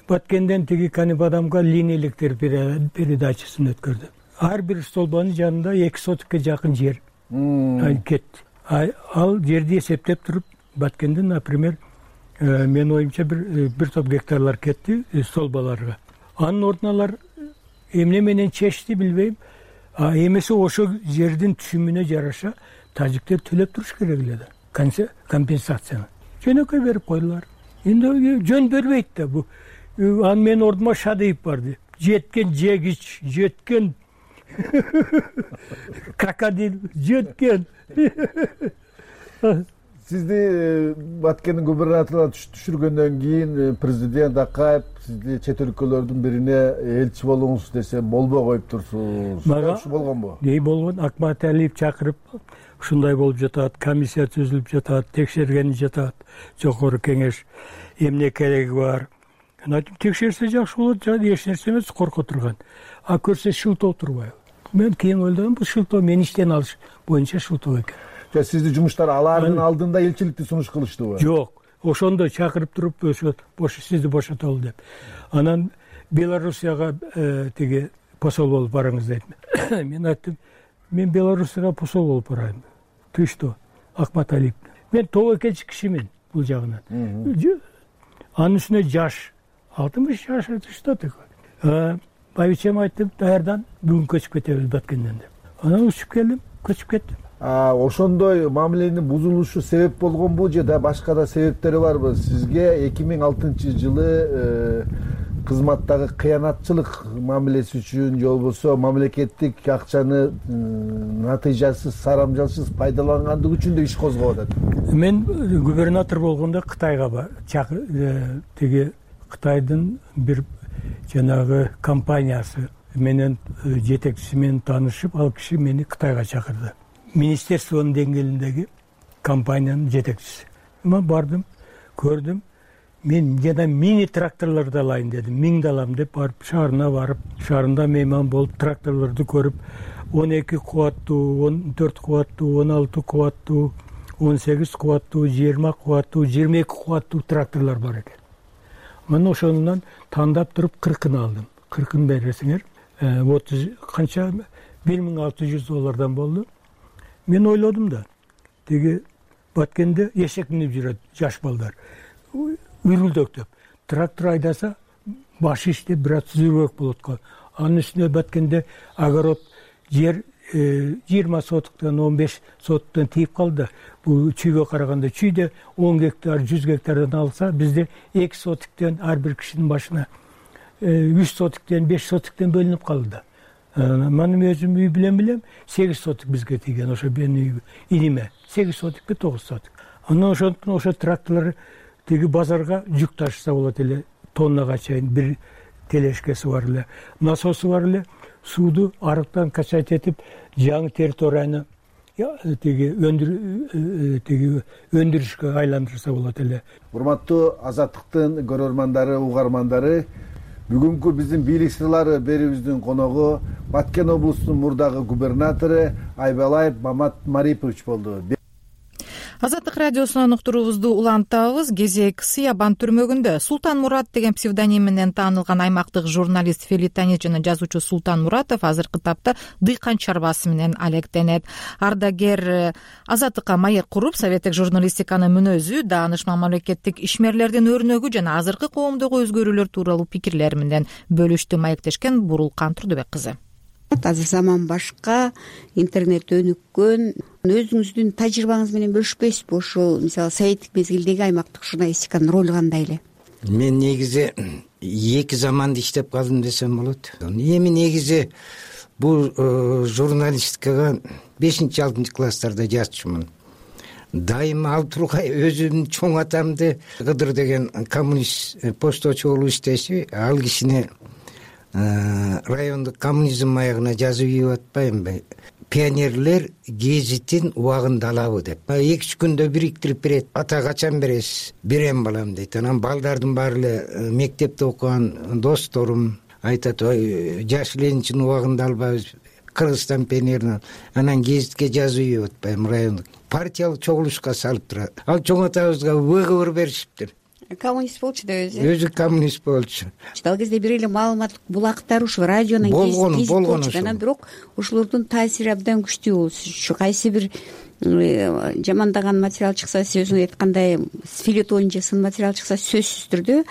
Баткенден тиги Канибадамга линия электр передачасын өткөрдү. Ар бир столбанын жанында эки сотикке жакын жер кетти. Ал жерди эсептеп туруп, Баткенден, например, мен оюмча бир бир топ гектарлар кетти столбаларга. Анын ордуна алар эмне менен чечти билбейм. А эмесе ошо жердин түшүмүнө жараша тажиктер төлөп туруш керек эле да. Компенсацияны жөнөкөй берип койдулар. Эми жөн бербейт да бу. Анын менин ордума Шадыев барды. Жеткен жегич, жеткен крокодил, жеткен. Сизди Баткендин губернаторуна түшүргөндөн кийин президент Акаев сизди чет өлкөлөрдүн бирине элчи болуңуз десе болбой коюп турсуз. Мага болгонбу? Ней болгон? Акмат Алиев чакырып, ушундай болуп жатат, комиссия түзүлүп жатат, текшерген жатат, жогору кеңеш, эмне кереги бар. Айтып, текшерсе жакшы болот, эч нерсе эмес, корко турган. А көрсө шылтоо турбайбы? Мен кийин ойлодум, бул шылтоо мени иштен алыш боюнча шылтоо экен. Же сизди жумуштар алардын алдында элчиликти сунуш кылыштыбы? Жок, ошондо чакырып туруп, ошо бош сизди бошотолу деп. Анан Белоруссияга тиги посол болуп барыңыз дейтим. Мен айттым, мен Белоруссияга посол болуп барайын. Ты что, Акмат Алиев? Мен тобокелчи кишимин бул жагынан. Анын үстүнө жаш, алтымыш жаш, что такое? Байбичем айттым, даярдан бүгүн көчүп кетебиз Баткенден деп. Анан учуп келдим, көчүп кеттим. Ошондой мамиленин бузулушу себеп болгонбу же да башка да себептери барбы? Сизге эки миң алтынчы жылы кызматтагы кыянатчылык мамилеси үчүн же болбосо мамлекеттик акчаны натыйжасыз, сарамжалсыз пайдалангандыгы үчүн да иш козгоп атат. Мен губернатор болгондо Кытайга тиги Кытайдын бир жанагы компаниясы менен жетекчиси менен таанышып, ал киши мени Кытайга чакырды. Министерствонун деңгээлиндеги компаниянын жетекчиси. Мен бардым, көрдүм. Мен жана мини тракторлорду алайын дедим. Миңди алам деп барып шаарына барып, шаарында мейман болуп тракторлорду көрүп, он эки кубаттуу, он төрт кубаттуу, он алты кубаттуу, он сегиз кубаттуу, жыйырма кубаттуу, жыйырма эки кубаттуу тракторлор бар экен. Мен ошонунан тандап туруп кыркын алдым. кыркын бересиңер. отуз канча бир миң алты жүз доллардан болду. Мен ойлодум да, тиги Баткенде эшек минип жүрөт жаш балдар. Үрүлдөктөп, трактор айдаса башы иштеп бир аз түзүүрөөк болот го. Анын үстүнө Баткенде огород жер жыйырма сотуктан он беш сотуктан тийип калды. Бул чүйгө караганда чүйдө он гектар, жүз гектардан алса, бизде эки сотуктан ар бир кишинин башына үч сотуктан, беш сотуктан бөлүнүп калды. Менин өзүм үй билем билем сегиз сотук бизге тийген, ошо менин иниме сегиз сотукпу тогуз сотук. Анан ошондуктан ошо тракторлор тиги базарга жүк ташыса болот эле, тоннага чейин бир телешкеси бар эле, насосу бар эле, сууду арыктан качать этип, жаңы территорияны тиги өндүр тиги өндүрүшкө айландырса болот эле. Урматтуу Азаттыктын көрөрмандары, угармандары, бүгүнкү биздин бийлик сырлары берүүбүздүн коногу Баткен облусунун мурдагы губернатору Айбалаев Мамат Марипович болду. Азаттык радиосунан уктуруубузду улантабыз. Кезек Сыябан түрмөгүндө Султан Мурат деген псевдоним менен таанылган аймактык журналист, филитонист жана жазуучу Султан Муратов азыркы тапта дыйкан чарбасы менен алектенет. Ардагер Азаттыкка маек куруп, советтик журналистиканын мүнөзү, дааныш мамлекеттик ишмерлердин өрнөгү жана азыркы коомдогу өзгөрүүлөр тууралуу пикирлери менен бөлүштү. Маектешкен Бурулкан Турдубек кызы. Азыр заман башка, интернет өнүккөн. Өзүңүздүн тажрыйбаңыз менен бөлүшпөйсүзбү? Ошол мисалы советтик мезгилдеги аймактык журналистиканын ролу кандай эле? Мен негизи эки заманда иштеп калдым десем болот. Эми негизи бул журналистикага бешинчи алтынчы класстарда жазчумун. Дайыма ал тургай өзүмдүн чоң атамды Кыдыр деген коммунист пошточу болуп иштеши, ал кишини райондук коммунизм маягына жазып ийип атпаймынбы? Пионерлер гезитин убагында алабы деп. эки үч күндө бириктирип берет. Ата качан бересиз? Берем балам дейт. Анан балдардын баары эле мектепте окуган досторум айтат, ой, жаш ленинчини убагында албайбыз, Кыргызстан пионерин. Анан гезитке жазып ийип атпайм райондук. Партиялык чогулушка салып турат. Ал чоң атабызга выговор беришиптир. Коммунист болчу да өзү. Өзү коммунист болчу. Ал кезде бир эле маалыматтык булактар ушу радионун болгон болгон. Анан бирок ошолордун таасири абдан күчтүү болчу. Кайсы бир жамандаган материал чыкса, сиз өзүңүз айткандай филетон же сын материал чыкса, сөзсүз түрдө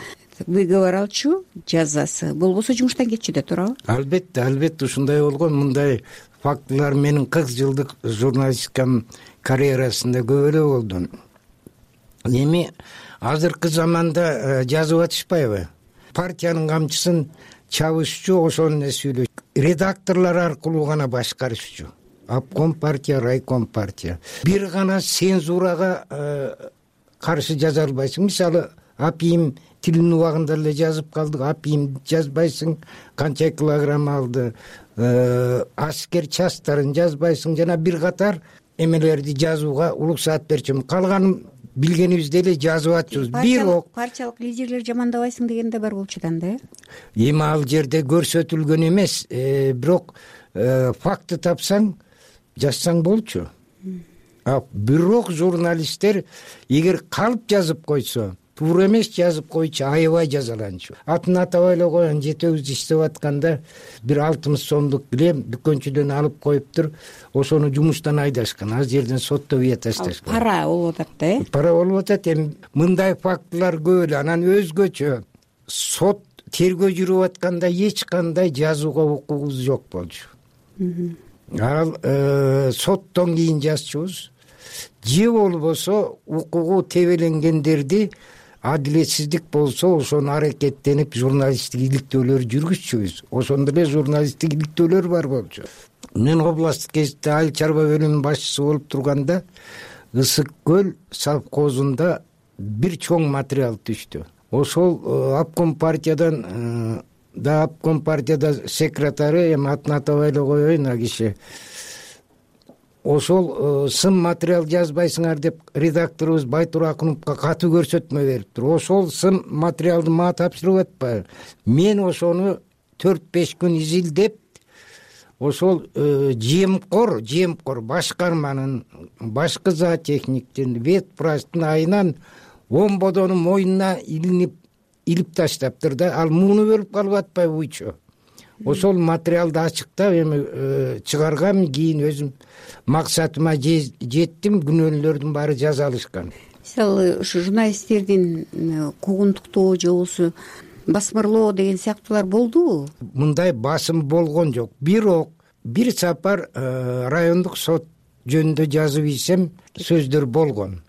выговор алчу, жазасы. Болбосо жумуштан кетчү да туурабы? Албетте, албетте ушундай болгон. Мындай фактылар менин кырк жылдык журналистикам карьерасында көп эле болду. Эми азыркы заманда жазып атышпайбы? Партиянын камчысын чабышчу, ошону эле сүйлөшчү. Редакторлор аркылуу гана башкарышчу. Обком партия, райком партия. Бир гана цензурага каршы жаза албайсың. Мисалы, апийим тилин убагында эле жазып калдык, апийим жазбайсың, канча килограмм алды, аскер частарын жазбайсың, жана бир катар эмелерди жазууга уруксаат берчүмүн. Калганын билгенибизди эле жазып атчыбыз. Бирок партиялык лидерлер жамандабайсың деген да бар болчу да, э? Эми ал жерде көрсөтүлгөн эмес, бирок факты тапсаң, жазсаң болчу. Бирок журналисттер эгер калып жазып койсо, туура эмес жазып койчу, аябай жазаланчу. Атын атабай эле коюн, жетөөбүз иштеп атканда бир алтымыш сомдук килем дүкөнчүдөн алып коюптур, ошону жумуштан айдашкан. Ал жерден сотто бия ташташкан. Пара болуп атат да, э? Пара болуп атат. Эми мындай фактылар көп эле. Анан өзгөчө сот тергөө жүрүп атканда эч кандай жазууга укугубуз жок болчу. Ал соттон кийин жазчубуз. Же болбосо укугу тебеленгендерди адилетсиздик болсо ошону аракеттенип журналисттик иликтөөлөр жүргүзчүбүз. Ошондо эле журналисттик иликтөөлөр бар болчу. Мен областтык гезитте айыл чарба бөлүмүнүн башчысы болуп турганда Ысык көл совхозунда бир чоң материал түштү. Ошол обком партиядан да обком партияда секретары, эми атын атабай эле коеюн, а киши ошол сын материал жазбайсыңар деп редакторубуз Байтур Акуновго катуу көрсөтмө бериптир. Ошол сын материалды мага тапшырып атпайбы? Мен ошону төрт беш күн изилдеп, ошол жемкор, жемкор башкарманын, башкы зоотехниктин, ветпрачтын айынан он бодонун мойнуна илинип, илип таштаптыр да, ал мууну бөлүп калып атпайбы буйчу? Ошол материалды ачыктап эми чыгаргам, кийин өзүм максатыма жеттим, күнөөлөрдүн баары жаза алышкан. Мисалы, ушу журналисттердин куугунтуктоо же болбосо басмырлоо деген сыяктуулар болдубу? Мындай басым болгон жок. Бирок бир сапар райондук сот жөнүндө жазып ийсем сөздөр болгон.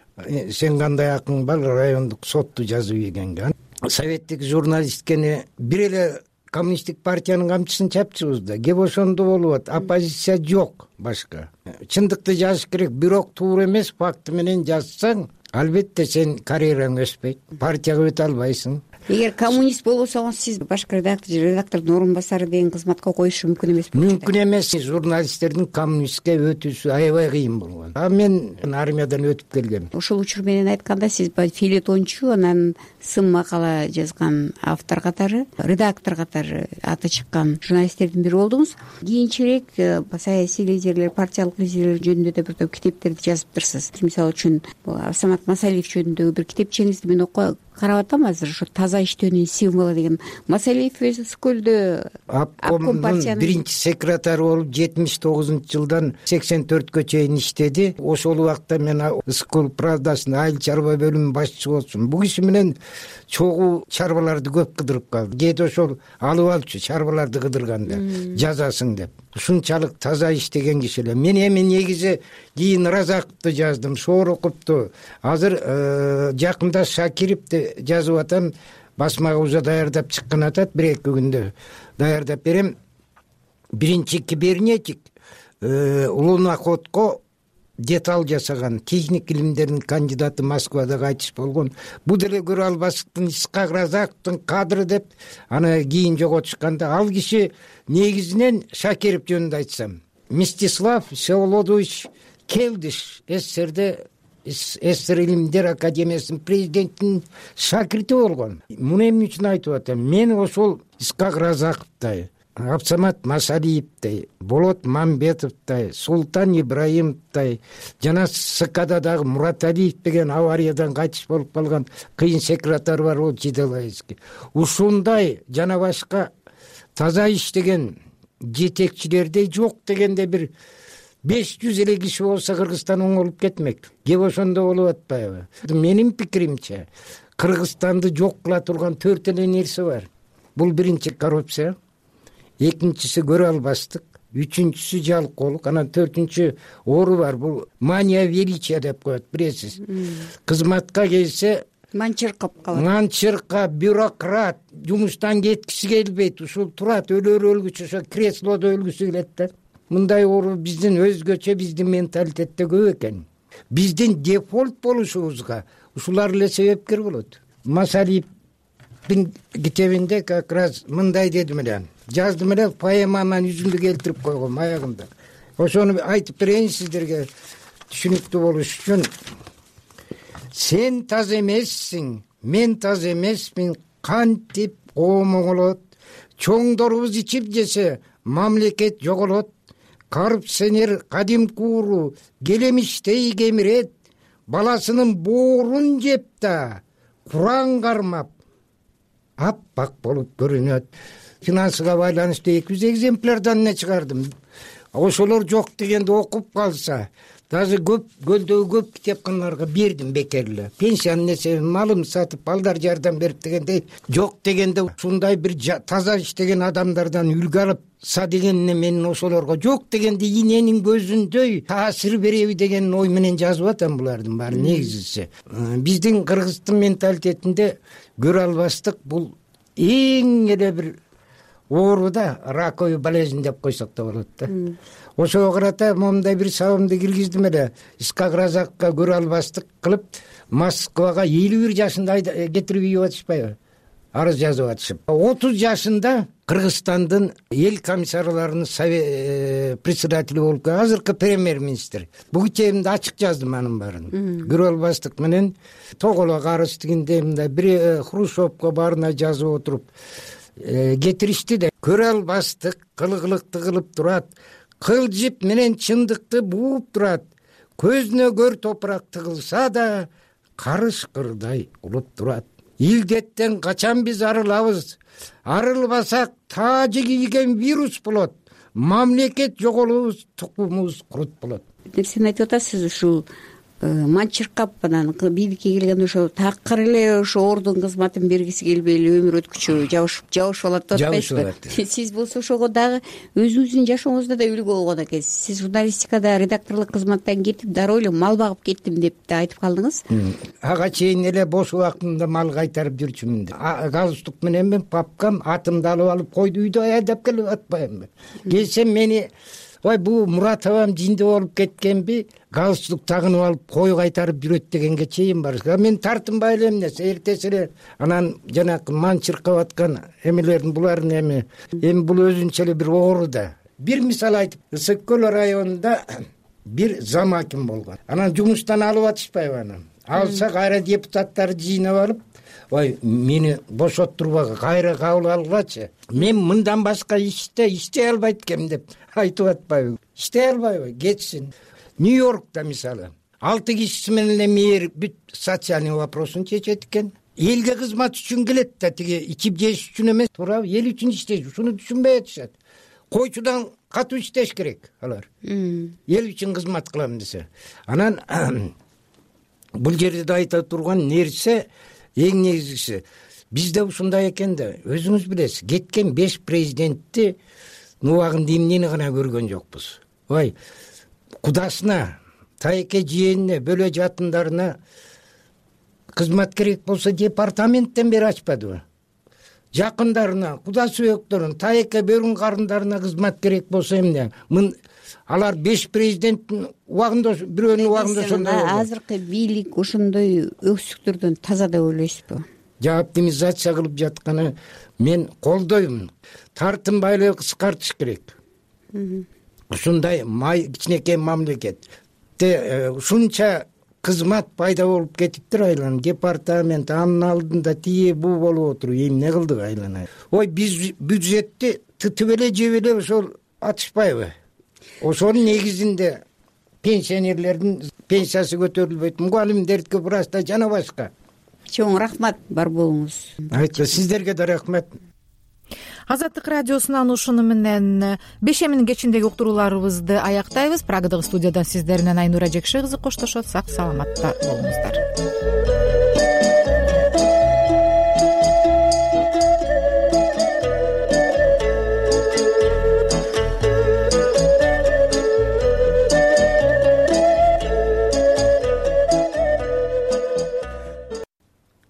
Сен кандай акың бар райондук сотту жазып ийгенге? Советтик журналисткени бир эле коммунисттик партиянын камчысын чапчыбыз да. Кеп ошондо болуп атат. Оппозиция жок башка. Чындыкты жазыш керек, бирок туура эмес факты менен жазсаң, албетте сен карьераң өспөйт. Партияга өтө албайсың. Эгер коммунист болбосоңуз, сиз башкы редактор же редактордун орун басары деген кызматка коюшу мүмкүн эмес болчу. Мүмкүн эмес. Журналисттердин коммунистке өтүүсү аябай кыйын болгон. А мен армиядан өтүп келгем. Ошол учур менен айтканда, сиз филетончу, анан сын макала жазган автор катары, редактор катары аты чыккан журналисттердин бири болдуңуз. Кийинчерээк саясий лидерлер, партиялык лидерлер жөнүндө да бир топ китептерди жазыптырсыз. Мисалы үчүн Самат Масалиев жөнүндөгү бир китепчеңизди мен карап атам азыр, ошо таза иштөөнүн символу деген. Масалиев Ысык көлдө обкомдун биринчи секретары болуп жетимиш тогузунчу жылдан сексен төрткө чейин иштеди. Ошол убакта мен Ысык көл правдасынын айыл чарба бөлүмүнүн башчысы болчумун. Бул киши менен чогуу чарбаларды көп кыдырып калды. Кээде ошол алып алчу чарбаларды кыдырганда жазасың деп. Ушунчалык таза иштеген киши эле. Мен эми негизи кийин Разаковду жаздым, Шороковду. Азыр жакында Шакировду жазып атам. басмага уже даярдап чыккан атат, бир эки күндө даярдап берем. Биринчи кибернетик Луноходко деталь жасаган техник илимдердин кандидаты Москвада кайтыш болгон. Бул деле көрө албастыктын Исхак Разаковдун кадры деп аны кийин жоготушканда, ал киши негизинен Шакиров жөнүндө айтсам, Мстислав Всеволодович Келдиш СССРде СССР илимдер академиясынын президентинин шакирти болгон. Муну эмне үчүн айтып атам? Мен ошол Исхак Разаковдой, Абсамат Масалиевдей, Болот Мамбетовдой, Султан Ибраимовдой жана СКда дагы Мураталиев деген авариядан кайтыш болуп калган кыйын секретарь бар, ол Жиделайский. Ушундай жана башка таза иштеген жетекчилердей жок дегенде бир беш жүз эле киши болсо Кыргызстан оңолуп кетмек. Кеп ошондо болуп атпайбы? Менин пикиримче, Кыргызстанды жок кыла турган төрт эле нерсе бар. Бул биринчи коррупция, экинчиси көрө албастык, үчүнчүсү жалкоолук, анан төртүнчү оору бар. Бул мания величия деп коет, билесиз. Кызматка келсе манчыркап калат. Манчырка, бюрократ, жумуштан кеткиси келбейт, ушул турат, өлөр өлгүчү, ошо креслодо өлгүсү келет да. Мындай оору биздин өзгөчө, биздин менталитетте көп экен. Биздин дефолт болушубузга ушулар эле себепкер болот. Масалиевдин китебинде как раз мындай дедим эле, жаздым эле, поэмаман жүзүндү келтирип койгом аягында. Ошону айтып берейин сиздерге түшүнүктүү болуш үчүн. Сен таз эмессиң, мен таз эмесмин, кантип коом оңолот, чоңдорубуз ичип жесе, мамлекет жоголот, коррупционер кадимки ууру келемиштей кемирет, баласынын боорун жеп да Куран кармап аппак болуп көрүнөт. Финансыга байланыштуу эки жүз экземплярдан не чыгардым. Ошолор жок дегенде окуп калса, даже көп көлдөгү көп китепканаларга бердим бекер эле. Пенсиянын эсебин малым сатып, балдар жардам берип дегендей, жок дегенде ушундай бир таза иштеген адамдардан үлгү алыпса дегенне мен ошолорго жок дегенде иненин көзүндөй таасир береби деген ой менен жазып атам булардын баары негизгиси. Биздин Кыргыздын менталитетинде көрө албастык бул эң эле бир оору да, раковый болезнь деп койсок да болот да. Ошого карата момундай бир сабымды киргиздим эле. Исхак Разаковго көрө албастык кылып, Москвага элүү бир жашында кетирип үйүп атышпайбы? Арыз жазып атышып. отуз жашында Кыргызстандын эл комиссарларынын председатели болуп, азыркы премьер-министр. Бул китебимде ачык жаздым анын баарын. Көрө албастык менен тоголок арыз дегенде мындай бир Хрущевко баарына жазып отуруп кетиришти да. Көрө албастык кылгылыкты кылып турат, кылжып менен чындыкты бууп турат, көзүнө көр топурак тыгылса да карышкырдай улуп турат. Илдеттен качан биз арылабыз? Арылбасак таажы кийген вирус болот, мамлекет жоголубуз, тукумубуз курут болот. Сен айтып атасыз, ушул манчыркап анан бийликке келген ошо такыр эле ошо ордун кызматын бергиси келбей эле өмүр өткүчү жабышып жабышып алат деп атпайсызбы? Сиз болсо ошого дагы өзүңүздүн жашооңузда да үлгү болгон экенсиз. Сиз журналистикада редакторлук кызматтан кетип дароо эле мал багып кеттим деп да айтып калдыңыз. Ага чейин эле бош убактымда мал кайтарып жүрчүмүн. Галстук менен мен папкам атымды алып алып койду үйдө айдап келип атпаймынбы? Келсем мени ой бул Муратовам жинде болуп кеткенби, галстук тагынып алып кой кайтарып жүрөт дегенге чейин бар. Мен тартынбай эле эмнеси, эртеси эле анан жанакы манчыркап аткан эмелердин булардын эми эми бул өзүнчө эле бир оору да. Бир мисал айтып, Ысык көл районунда бир зам аким болгон. Анан жумуштан алып атышпайбы аны? Алса кайра депутаттарды жыйнап алып, ой мени бошоттурбагы, кайра кабыл алгачы. Мен мындан башка иште иштей албайт экем деп айтып атпайбы? Иштей албайбы? Кетсин. Нью-Йоркта мисалы алты кишиси менен эле мэр бүт социальный вопросун чечет экен. Элге кызмат үчүн келет да, тиги ичип жеш үчүн эмес, туурабы? Эл үчүн иштейт. Ушуну түшүнбөй атышат. Койчудан катуу иштеш керек алар. Эл үчүн кызмат кылам десе. Анан бул жерде да айта турган нерсе эң негизгиси бизде ушундай экен да. Өзүңүз билесиз, кеткен беш президентти нубагында эмнени гана көргөн жокпуз. Ой, кудасына, тайке жиенине, бөлө жатындарына кызмат керек болсо департаменттен бери ачпадыбы? жакындарына, куда сүйөктөрүнө, тайекке бөрүн карындарына кызмат керек болсо эмне? Алар беш президенттин убагында бирөөнүн убагында ошондой болду. Азыркы бийлик ошондой өксүктөрдөн таза деп ойлойсузбу? Оптимизация кылып жатканы мен колдоймун. Тартынбайлыгы кыскартыш керек. Ушундай май кичинекей мамлекетте ушунча кызмат пайда болуп кетиптир айлана. Департамент анын алдында тие бу болуп отуруп эмне кылдык айлана? Ой, биз бюджетти тытып эле жеп эле ошол атышпайбы? Ошонун негизинде пенсионерлердин пенсиясы көтөрүлбөйт, мугалимдердики просто жана башка. Чоң рахмат, бар болуңуз. Айтты, сиздерге да рахмат. Азаттык радиосунан ушуну менен бешеминин кечиндеги уктурууларыбызды аяктайбыз. Прагадагы студиядан сиздер менен Айнура Жекши кызы коштошот. Сак саламатта болуңуздар.